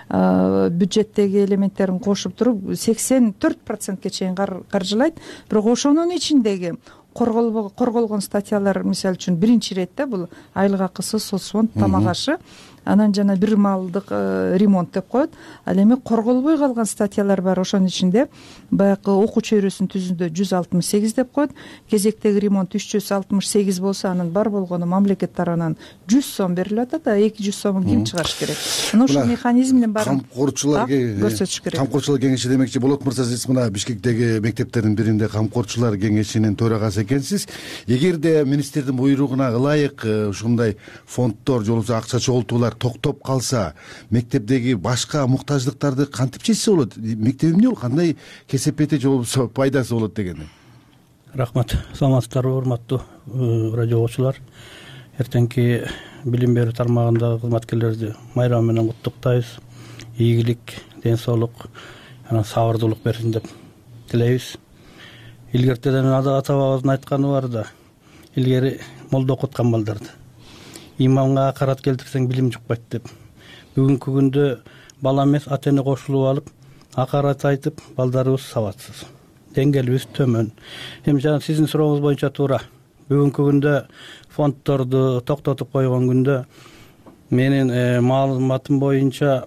бюджеттеги элементтерин кошуп туруп сексен төрт процентке чейин каржылайт. Бирок ошонун ичиндеги корголгон статьялар, мисалы үчүн биринчи иретте бул айлык акысы, соцфонд, тамак ашы, анан жана бир маалдык ремонт деп коет. Ал эми корголбой калган статьялар бар. Ошонун ичинде баягы окуу чөйрөсүнүн түзүндө жүз алтымыш сегиз деп коет. Кезектеги ремонт үч жүз алтымыш сегиз болсо, анын бар болгону мамлекет тарабынан жүз сом берилип атат, а эки жүз сомун ким чыгарыш керек? Мына ушул механизмдин баарын көрсөтүш керек. Камкорчулар кеңеши демекчи, Болот мырза, сиз мына Бишкектеги мектептердин биринде камкорчулар кеңешинин төрагасы экенсиз. Эгерде министрдин буйругуна ылайык ушундай фонддор же болбосо акча чогултуулар токтоп калса, мектептеги башка муктаждыктарды кантип чечсе болот? Мектеп эмне болот? Кандай кесепети же болбосо пайдасы болот дегени? Рахмат. Саламатсыздарбы, урматтуу радио угуучулар. Эртеңки билим берүү тармагындагы кызматкерлерди майрамы менен куттуктайбыз. Ийгилик, ден соолук, анан сабырдуулук берсин деп тилейбиз. Илгертеден ата бабабыздын айтканы бар да, илгери молдо окуткан балдарды имамга акарат келтирсең билим жукпайт деп. Бүгүнкү күндө бала эмес ата эне кошулуп алып акарат айтып балдарыбыз сабатсыз деңгээлибиз төмөн. Эми жана сиздин сурооңуз боюнча туура. Бүгүнкү күндө фонддорду токтотуп койгон күндө менин маалыматым боюнча,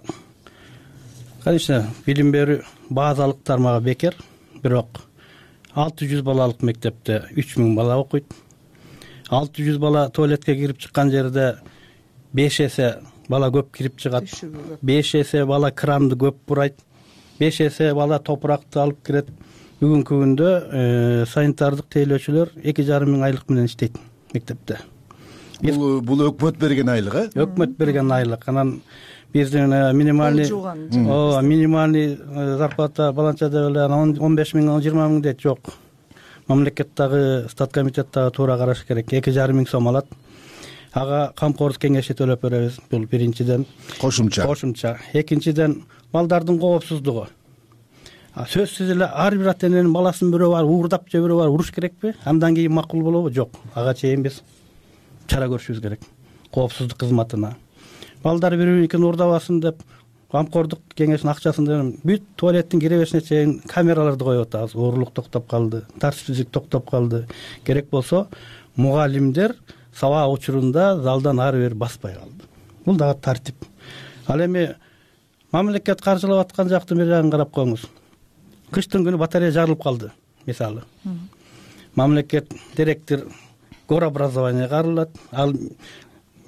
конечно, билим берүү базалык тармагы бекер, бирок алты жүз балалык мектепте үч миң бала окуйт. алты жүз бала туалетке кирип чыккан жерде беш эсе бала көп кирип чыгат, беш эсе бала кранды көп бурайт, беш эсе бала топуракты алып кирет. Бүгүнкү күндө санитардык тейлөөчүлөр эки жарым миң айлык менен иштейт мектепте. Бул бул өкмөт берген айлык, э? Өкмөт берген айлык. Анан биздин минимальный ооба минимальный зарплата баланча деп эле он беш миң жыйырма миң дейт. Жок. Мамлекеттагы статкомитеттагы туура караш керек. эки жарым миң сом алат. Ага камкордук кеңеши төлөп беребиз. Бул биринчиден кошумча. Кошумча. Экинчиден балдардын коопсуздугу. Сөзсүз эле ар бир ата эненин баласын бирөө бар уурдап же бирөө бар уруш керекпи? Андан кийин макул болобу? Жок. Ага чейин биз чара көрүшүбүз керек. Коопсуздук кызматына. Балдар бири-бирин уурдабасын деп камкордук кеңешинин акчасын бүт туалеттин киребешине чейин камераларды коюп атабыз. Оорлук токтоп калды, тартипсиздик токтоп калды. Керек болсо мугалимдер сабак учурунда залдан ары бери баспай калды. Бул дагы тартип. Ал эми мамлекет каржылап аткан жактын бир жагын карап коюңуз. Кыштын күнү батарея жарылып калды, мисалы. Мамлекет директор горобразование кайрылат, ал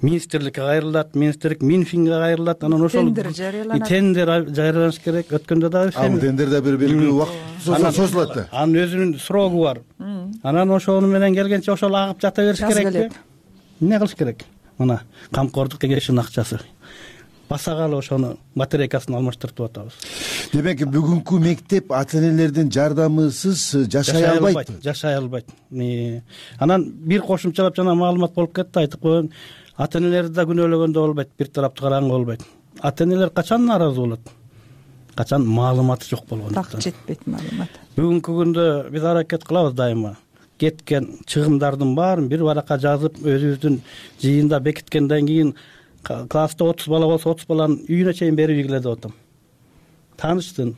министрликке кайрылат, министрлик Минфинге кайрылат, анан ошол тендер жарыяланат. Тендер жарыяланыш керек. Өткөндө дагы ал тендерде бир белгилүү убакыт созулат да. Анын өзүнүн срогу бар. Анан ошону менен келгенче ошол агып жата бериш керекпи? Эмне кылыш керек? Мына камкордук кеңешинин акчасы. Басагалы ошону батарейкасын алмаштыртып атабыз. Демек, бүгүнкү мектеп ата энелердин жардамысыз жашай албайт. Жашай албайт. Анан бир кошумчалап жана маалымат болуп кетти, айтып коеюн. Ата энелерди да күнөөлөгөндө болбойт, бир тараптуу караганга болбойт. Ата энелер качан нааразы болот? Качан маалыматы жок болгондуктан. Так жетпейт маалымат. Бүгүнкү күндө биз аракет кылабыз дайыма. Кеткен чыгымдардын баарын бир баракка жазып, өзүбүздүн жыйында бекиткенден кийин класста отуз бала болсо отуз баланын үйүнө чейин берип ийгиле деп атам. Тааныштын,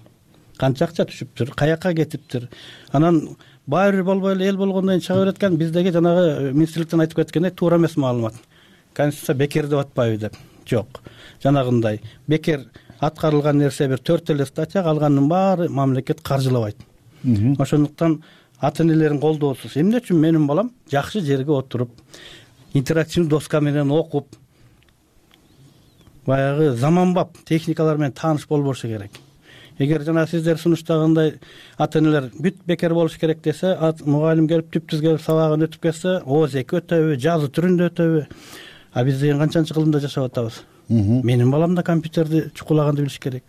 канча акча түшүптүр, каяка кетиптир. Анан баары бир болбой эле эл болгондон кийин чыга берет экен, биздеги жанагы министрликтен айтып кеткендей туура эмес маалымат. Конституция бекер деп атпайбы деп. Жок. Жанагындай бекер аткарылган нерсе бир төрт эле статья, калганынын баары мамлекет каржылабайт. Ошондуктан ата энелердин колдоосуз эмне үчүн менин балам жакшы жерге отуруп, интерактивдүү доска менен окуп, баягы заманбап техникалар менен тааныш болбошу керек. Эгер жана сиздер сунуштагандай ата энелер бүт бекер болуш керек десе, мугалим келип түптүз келип сабагын өтүп кетсе, ооз эки өтөбү, жазуу түрүндө өтөбү? А биз деген канчанчы кылымда жашап атабыз? Менин балам да компьютерди чукулаганды билиш керек.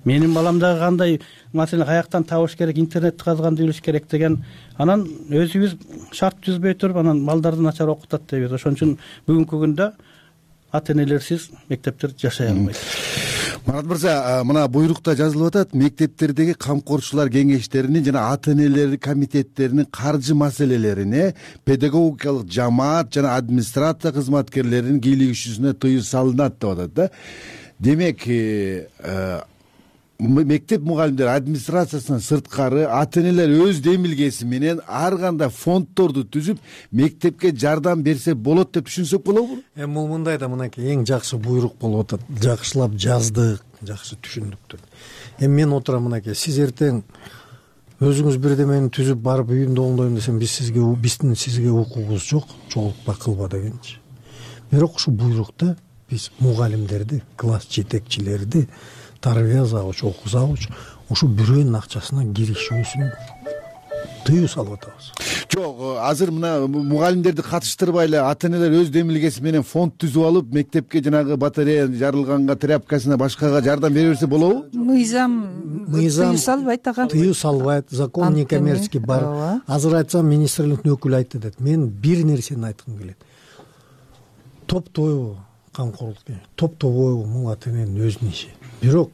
Менин балам да кандай маселени каяктан табыш керек, интернетти казганды билиш керек деген. Анан өзүбүз шарт түзбөй туруп, анан балдарды начар окутат дейбиз. Ошон үчүн бүгүнкү күндө ата энелерсиз мектептер жашай албайт. Марат мырза, мына буйрукта жазылып атат, мектептердеги камкорчулар кеңештеринин жана ата энелер комитеттеринин каржы маселелерине педагогикалык жамаат жана администрация кызматкерлеринин кийлигишүүсүнө тыюу салынат деп атат да. Демек, мектеп мугалимдери администрациясынан сырткары ата энелер өз демилгеси менен ар кандай фонддорду түзүп мектепке жардам берсе болот деп түшүнсөк болобу? Эми бул мындай да, мынакей эң жакшы буйрук болуп атат. Жакшылап жаздык, жакшы түшүндүк. Эми мен отурам мынакей, сиз эртең өзүңүз бирдемени түзүп барып үйүмдө оңдойм десем, биз сизге биздин сизге укугубуз жок, чогултпа кылба дегенчи. Бирок ушу буйрукта биз мугалимдерди, класс жетекчилерди, тарбия завуч, окуу завуч ушу бирөөнүн акчасына киришүүсүн тыюу салып атабыз. Жок, азыр мына мугалимдерди катыштырбай эле ата энелер өз демилгеси менен фонд түзүп алып, мектепке жанагы батарея жарылганга, тряпкасына, башкага жардам бере берсе болобу? Мыйзам тыюу салбайт ага. Тыюу салбайт, закон некоммерческий бар. Азыр айтсам, министрликтин өкүлү айтты дейт. Мен бир нерсени айткым келет. Топтойбу камкорлук, топтобойбу бул ата эненин өзүнүн иши. Бирок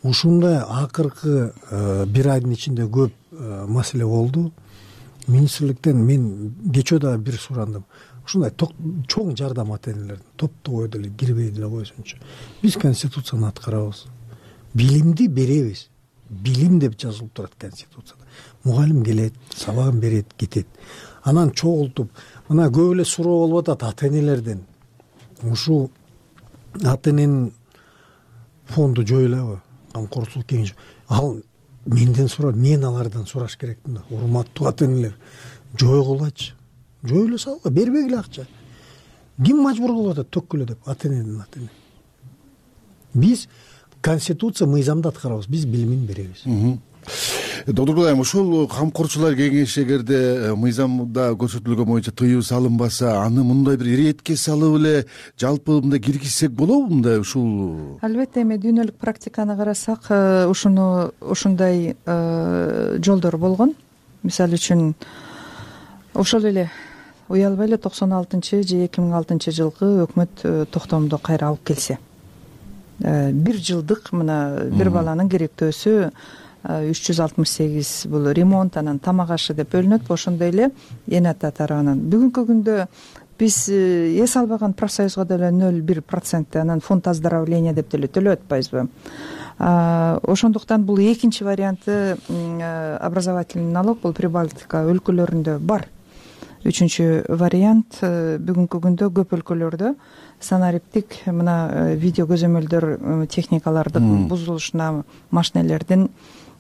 ушундай акыркы бир айдын ичинде көп маселе болду. Министрликтен мен кечөө дагы бир сурандым. Ушундай чоң жардам ата энелердин топтобой деле кирбей деле койсунчу. Биз конституцияны аткарабыз. Билимди беребиз. билим деп жазылып турат конституцияда. Мугалим келет, сабагын берет, кетет. Анан чогултуп, мына көп эле суроо болуп атат ата энелерден. Ушул ата эненин фонду жоюлабы? Камкорсулук кеңеши. Ал менден сурап, мен алардан сураш керекмин да. Урматтуу ата энелер, жойгулачы. Жоюла салга, бербегиле акча. Ким мажбур кылып атат төккүлө деп, ата эненин ата эне. Биз конституция мыйзамды аткарабыз, биз билимин беребиз. Доктор Айым, ошол камкорчулар кеңеши эгерде мыйзамда көрсөтүлгөн боюнча тыюу салынбаса, аны мындай бир иретке салып эле жалпы мындай киргизсек болобу мындай ушул? Албетте, эми дүйнөлүк практиканы карасак, ушуну ушундай жолдор болгон. Мисалы үчүн ошол эле уялбай эле токсон алтынчы же эки миң алтынчы жылкы өкмөт токтомду кайра алып келсе, бир жылдык мына бир баланын керектөөсү үч жүз алтымыш сегиз бул ремонт, анан тамак ашы деп бөлүнөт. Ошондой эле эне ата тарабынан бүгүнкү күндө биз эс албаган профсоюзга деле ноль бир процент, анан фонд оздоровления деп деле төлөп атпайбызбы? Ошондуктан бул экинчи варианты образовательный налог, бул Прибалтика өлкөлөрүндө бар. Үчүнчү вариант бүгүнкү күндө көп өлкөлөрдө санариптик мына видео көзөмөлдөр техникалардын бузулушуна, машинелердин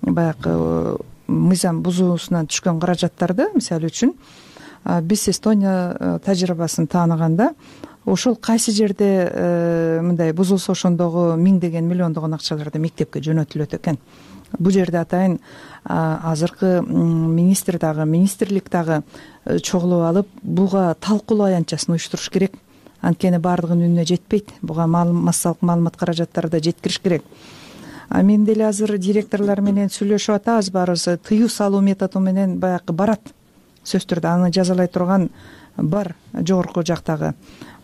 баягы мыйзам бузуусунан түшкөн каражаттарды, мисалы үчүн биз Эстония тажрыйбасын тааныганда, ошол кайсы жерде мындай бузулса ошондогу миңдеген, миллиондогон акчаларды мектепке жөнөтүлөт экен. Бул жерде атайын азыркы министр дагы, министрлик дагы чогулуп алып, буга талкуулоо аянтчасын уюштуруш керек. Анткени баардыгынын үнүнө жетпейт. Буга массалык маалымат каражаттары да жеткириш керек. Мен деле азыр директорлор менен сүйлөшүп атабыз, баарыбыз тыюу салуу методу менен баягы барат. Сөзсүз түрдө аны жазалай турган бар жогорку жактагы.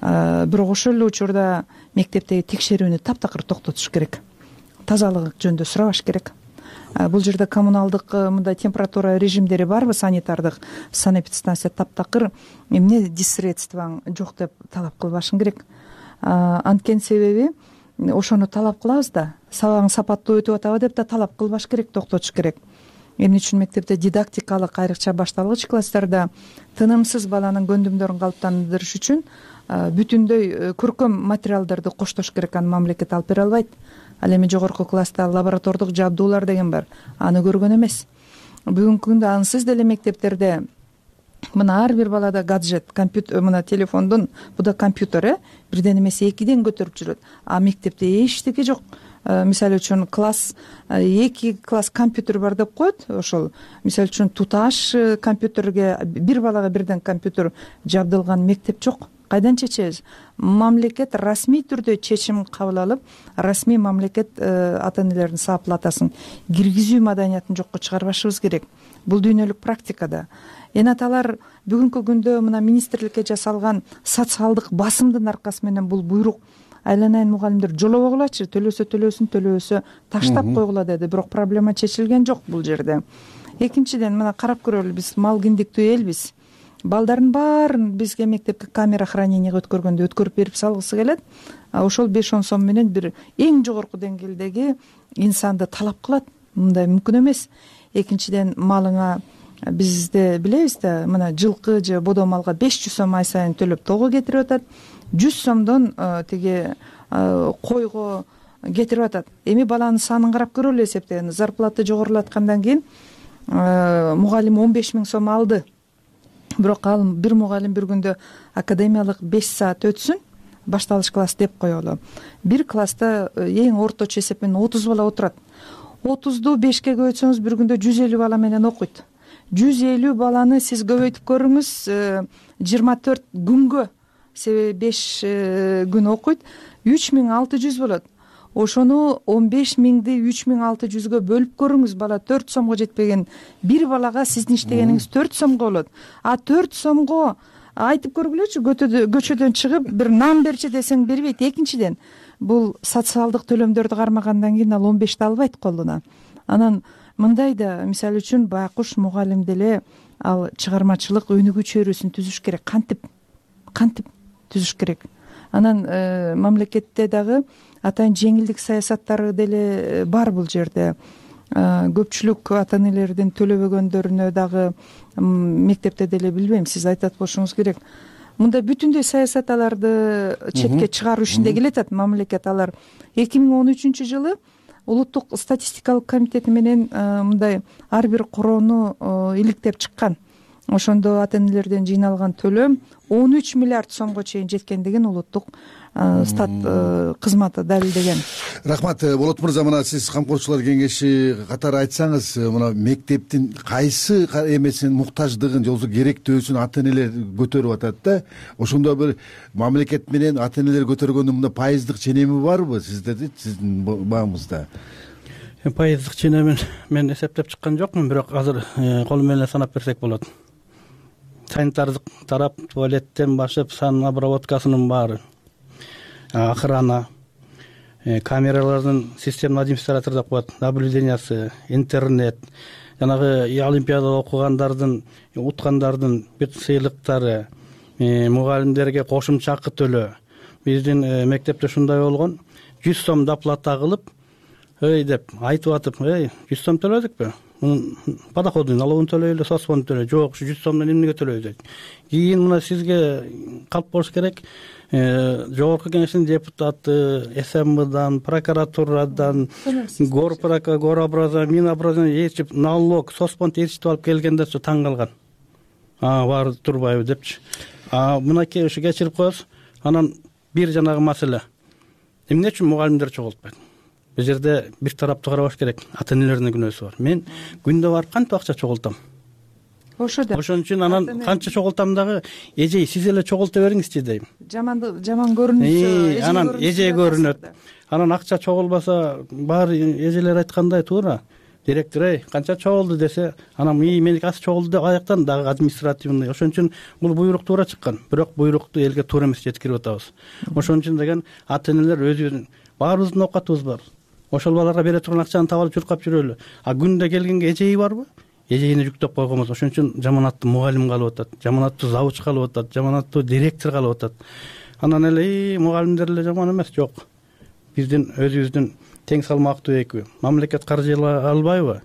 Бирок ошол эле учурда мектептеги текшерүүнү таптакыр токтотуш керек. Тазалык жөнүндө сурабаш керек. Бул жерде коммуналдык мындай температура режимдери барбы, санитардык? Санэпидстанция таптакыр эмне диссредствоң жок деп талап кылбашың керек. Анткени себеби ошону талап кылабыз да, сабагың сапаттуу өтүп атабы деп да талап кылбаш керек, токтотуш керек. Эмне үчүн мектепте дидактикалык, айрыкча башталгыч класстарда тынымсыз баланын көндүмдөрүн калыптандырыш үчүн бүтүндөй көркөм материалдарды коштош керек. Аны мамлекет алып бере албайт. Ал эми жогорку класста лаборатордук жабдуулар деген бар, аны көргөн эмес. Бүгүнкү күндө ансыз деле мектептерде мына ар бир балада гаджет, компьютер, мына телефондун, бу да компьютер, э бирден эмес экиден көтөрүп жүрөт. А мектепте эчтеке жок. Мисалы үчүн класс эки класс компьютер бар деп коет. Ошол мисалы үчүн туташ компьютерге бир балага бирден компьютер жабдылган мектеп жок. Кайдан чечебиз? Мамлекет расмий түрдө чечим кабыл алып, расмий мамлекет ата энелердин саап-платасын киргизүү маданиятын жокко чыгарбашыбыз керек. Бул дүйнөлүк практикада. Эне аталар бүгүнкү күндө мына министрликке жасалган социалдык басымдын аркасы менен бул буйрук айланайын мугалимдер жолобогулачы, төлөсө төлөсүн, төлөбөсө таштап койгула деди. Бирок проблема чечилген жок бул жерде. Экинчиден, мына карап көрөлү, биз мал киндиктүү элбиз. Балдардын баарын бизге мектепке камера хранениеге өткөргөндө өткөрүп берип салгысы келет. Ошол беш он сом менен бир эң жогорку деңгээлдеги инсанды талап кылат. Мындай мүмкүн эмес. Экинчиден, малыңа бизде билебиз да, мына жылкы же бодо малга беш жүз сом ай сайын төлөп того кетирип атат. жүз сомдон тиги койго кетирип атат. Эми баланын санын карап көрөлү, эсептегенде зарплата жогорулаткандан кийин мугалим он беш миң сом алды. Бирок ал бир мугалим бир күндө академиялык беш саат өтсүн, башталыш класс деп коелу. Бир класста эң орточо эсеп менен отуз бала отурат. отузду бешке көбөйтсөңүз бир күндө жүз элүү бала менен окуйт. жүз элүү баланы сиз көбөйтүп көрүңүз жыйырма төрт күнгө, себеби беш күн окуйт, үч миң алты жүз болот. Ошону он беш миңди үч миң алты жүзгө бөлүп көрүңүз, бала төрт сомго жетпеген бир балага сиздин иштегениңиз төрт сомго болот. А төрт сомго айтып көргүлөчү, көчөдөн чыгып бир нан берчи десең бербейт. Экинчиден, бул социалдык төлөмдөрдү кармагандан кийин ал он бешти албайт колуна. Анан мындай да, мисалы үчүн байкуш мугалим деле ал чыгармачылык өнүгүү чөйрөсүн түзүш керек. Кантип кантип түзүш керек. Анан мамлекетте дагы атайын жеңилдик саясаттары деле бар бул жерде. көпчүлүк ата энелердин төлөбөгөндөрүнө дагы мектепте деле билбейм, сиз айтат болушуңуз керек. Мында бүтүндөй саясат аларды четке чыгаруу ишинде келатат мамлекет. Алар эки миң он үчүнчү жылы улуттук статистикалык комитети менен мындай ар бир короону иликтеп чыккан. Ошондо ата энелерден жыйналган төлөм он үч миллиард сомго чейин жеткендигин улуттук стат кызматы далилдеген. Рахмат. Болот мырза, мына сиз камкорчулар кеңеши катары айтсаңыз, мына мектептин кайсы эмесин муктаждыгын же болбосо керектөөсүн ата энелер көтөрүп атат да. Ошондо бир мамлекет менен ата энелер көтөргөндүн мында пайыздык ченеми барбы сиздердин сиздин багыңызда? Пайыздык ченемин мен эсептеп чыккан жокмун, бирок азыр колу менен санап берсек болот. Санитардык тарап, туалеттен башып, сан обработкасынын баары, охрана, камералардын системный администратор деп коет, наблюдениясы, интернет, жанагы олимпиадада окугандардын, уткандардын бүт сыйлыктары, мугалимдерге кошумча акы төлөө. Биздин мектепте ушундай болгон, жүз сом доплата кылып, эй деп айтып атып, эй, жүз сом төлөдүкпү? Мунун подоходун налогун төлөйлү, соцфонд төлөй. Жок, жүз сомдон эмнеге төлөйбүз? Кийин мына сизге калп болуш керек. Жогорку кеңештин депутаты, СМБдан, прокуратурадан, горпрокуратурадан, Минобразования ээрчип, налог, соцфонд ээрчитип алып келгендерчи таң калган. А, баары турбайбы депчи. А мынакей ушу кечирип коебуз. Анан бир жанагы маселе. Эмне үчүн мугалимдер чогултпайт? Бул жерде бир тарапты карабаш керек. Ата энелердин күнөөсү бар. Мен күндө барып кантип акча чогултам? Ошо да. Ошон үчүн анан канча чогултам дагы эжей сиз эле чогулта бериңизчи дейм. Жаманды жаман көрүнүшү, анан эже көрүнөт. Анан акча чогулбаса, баары эжелер айткандай туура. Директор эй, канча чогулду десе, анан ий меники аз чогулду деп аяктан дагы административный. Ошон үчүн бул буйрук туура чыккан. Бирок буйрукту элге туура эмес жеткирип атабыз. Ошон үчүн деген ата энелер өзүбүздүн баарыбыздын оокатыбыз бар. Ошол балдарга бере турган акчаны таап алып чуркап жүрөлү. А күндө келгенге эжеи барбы? Эжейини жүктөп койгонбуз. Ошон үчүн жаманаттуу мугалим калып атат, жаманаттуу завуч калып атат, жаманаттуу директор калып атат. Анан эле мугалимдер эле жаман эмес, жок. Биздин өзүбүздүн тең салмактуу экөө. Мамлекет каржылай албайбы?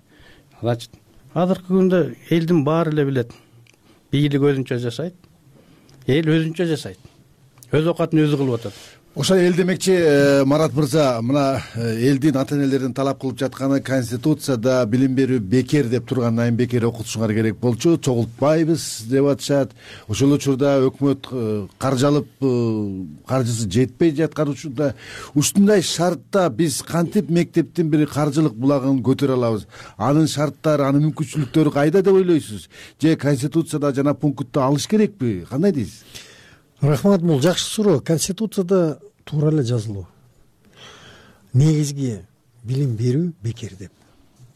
Значит, азыркы күндө элдин баары эле билет. Бийлик өзүнчө жашайт, эл өзүнчө жашайт. Өз оокатын өзү кылып атат. Ошо эл демекчи, Марат мырза, мына элдин ата энелердин талап кылып жатканы Конституцияда билим берүү бекер деп тургандан бекер окутушуңар керек болчу, чогултпайбыз деп атышат. Ошол учурда өкмөт каржы алып, каржысы жетпей жаткан учурда ушундай шартта биз кантип мектептин бир каржылык булагын көтөрө алабыз? Анын шарттары, анын мүмкүнчүлүктөрү кайда деп ойлойсуз? Же Конституцияда жана пунктты алыш керекпи? Кандай дейсиз? Рахмат, бул жакшы суроо. Конституцияда туура эле жазылуу. Негизги билим берүү бекер деп.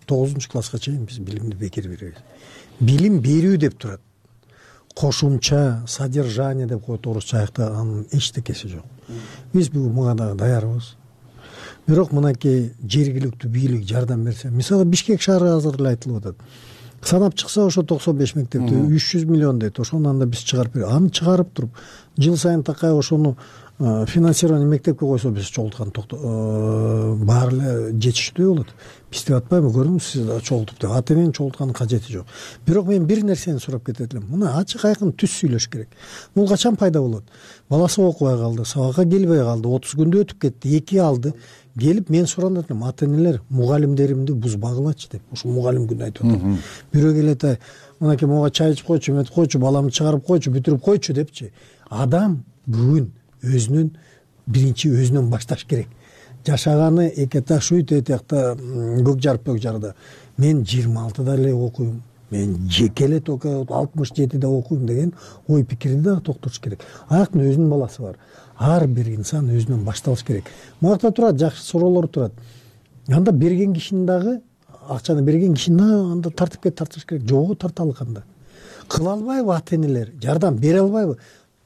тогузунчу класска чейин биз билимди бекер беребиз. Билим берүү деп турат. Кошумча, содержание деп коет орусча аякта, анын эчтекеси жок. Биз буга дагы даярбыз. Бирок мынакей жергиликтүү бийлик жардам берсе, мисалы Бишкек шаары азыр эле айтылып атат. Санап чыкса ошо токсон беш мектепти үч жүз миллион дейт. Ошону анда биз чыгарып беребиз. Аны чыгарып туруп, жыл сайын такай ошону финансирование мектепке койсо биз чогулткан баары эле жетиштүү болот. Биз деп атпайбы, көрдүңүз сиз чогултуп деп. Ата эненин чогултканын кажети жок. Бирок мен бир нерсени сурап кетет элем. Мына ачык айкын түз сүйлөш керек. Бул качан пайда болот? Баласы окубай калды, сабакка келбей калды, отуз күндө өтүп кетти, эки алды. Келип мен сурап атам, ата энелер мугалимдеримди бузбагылачы деп. Ошо мугалим күнү айтып атам. Бирөө келет, мынакей мага чай ичип койчу, эметип койчу, баламды чыгарып койчу, бүтүрүп койчу депчи. Адам бүгүн өзүнүн биринчи өзүнөн башташ керек. Жашаганы эки таш үй тетиякта көк жар пөк жарда. Мен жыйырма алтыда эле окуйм. Мен жеке эле только алтымыш жетиде окуйм деген ой пикирди да токтотуш керек. Аяктын өзүнүн баласы бар. Ар бир инсан өзүнөн башталыш керек. Муракта турат, жакшы суроолор турат. Анда берген кишинин дагы, акчаны берген кишини анда тартипке тартыш керек. Жогу тарталы кандай. Кыла албайбы ата энелер? Жардам бере албайбы?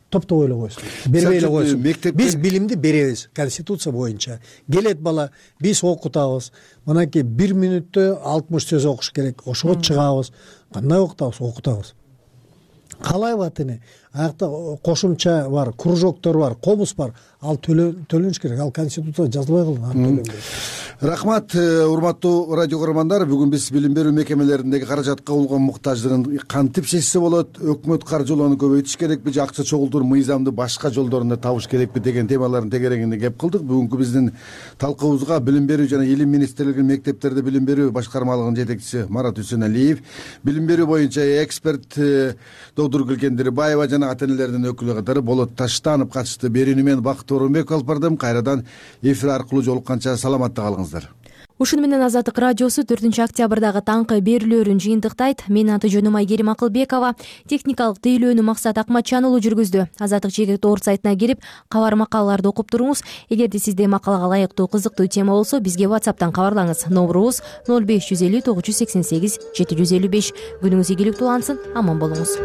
Топтоп ойлой койсун. Бербей эле койсун. Биз билимди беребиз Конституция боюнча. Келет бала, биз окутабыз. Мынакей бир мүнөттө алтымыш сөз окуш керек. Ошого чыгабыз. Кандай окутабыз? Окутабыз. Калайбы ата эне? аякта кошумча бар, кружоктор бар, комуз бар, ал төлөнүш керек. Ал конституцияда жазылбай калган. Рахмат, урматтуу радио көрөрмандар. Бүгүн биз билим берүү мекемелериндеги каражатка болгон муктаждыгын кантип чечсе болот, өкмөт каржылоону көбөйтүш керекпи же акча чогултуур мыйзамды башка жолдорунда табыш керекпи деген темалардын тегерегинде кеп кылдык. Бүгүнкү биздин талкуубузга билим берүү жана илим министрлигинин мектептерде билим берүү башкармалыгынын жетекчиси Марат Үсөналиев, билим берүү боюнча эксперт доктур Гүлкендирбаева жана ата энелердин өкүлү катары Болот Таштанов катышты. Берүүнү мен Бакыт Орунбеков алып бардым. Кайрадан эфир аркылуу жолукканча саламатта калыңыздар. Ушуну менен Азаттык радиосу төртүнчү октябрдагы таңкы берүүлөрүн жыйынтыктайт. Менин аты жөнүм Айгерим Акылбекова. Техникалык тейлөөнү Максат Акматжан уулу жүргүздү. Азаттык чегет орт сайтына кирип, кабар макалаларды окуп туруңуз. Эгерде сизде макалага ылайыктуу кызыктуу тема болсо, бизге WhatsApp'тан кабарлаңыз. Номурубуз ноль беш жүз элүү тогуз жүз сексен сегиз жети жүз элүү беш. Күнүңүз ийгиликтүү улансын, аман болуңуз.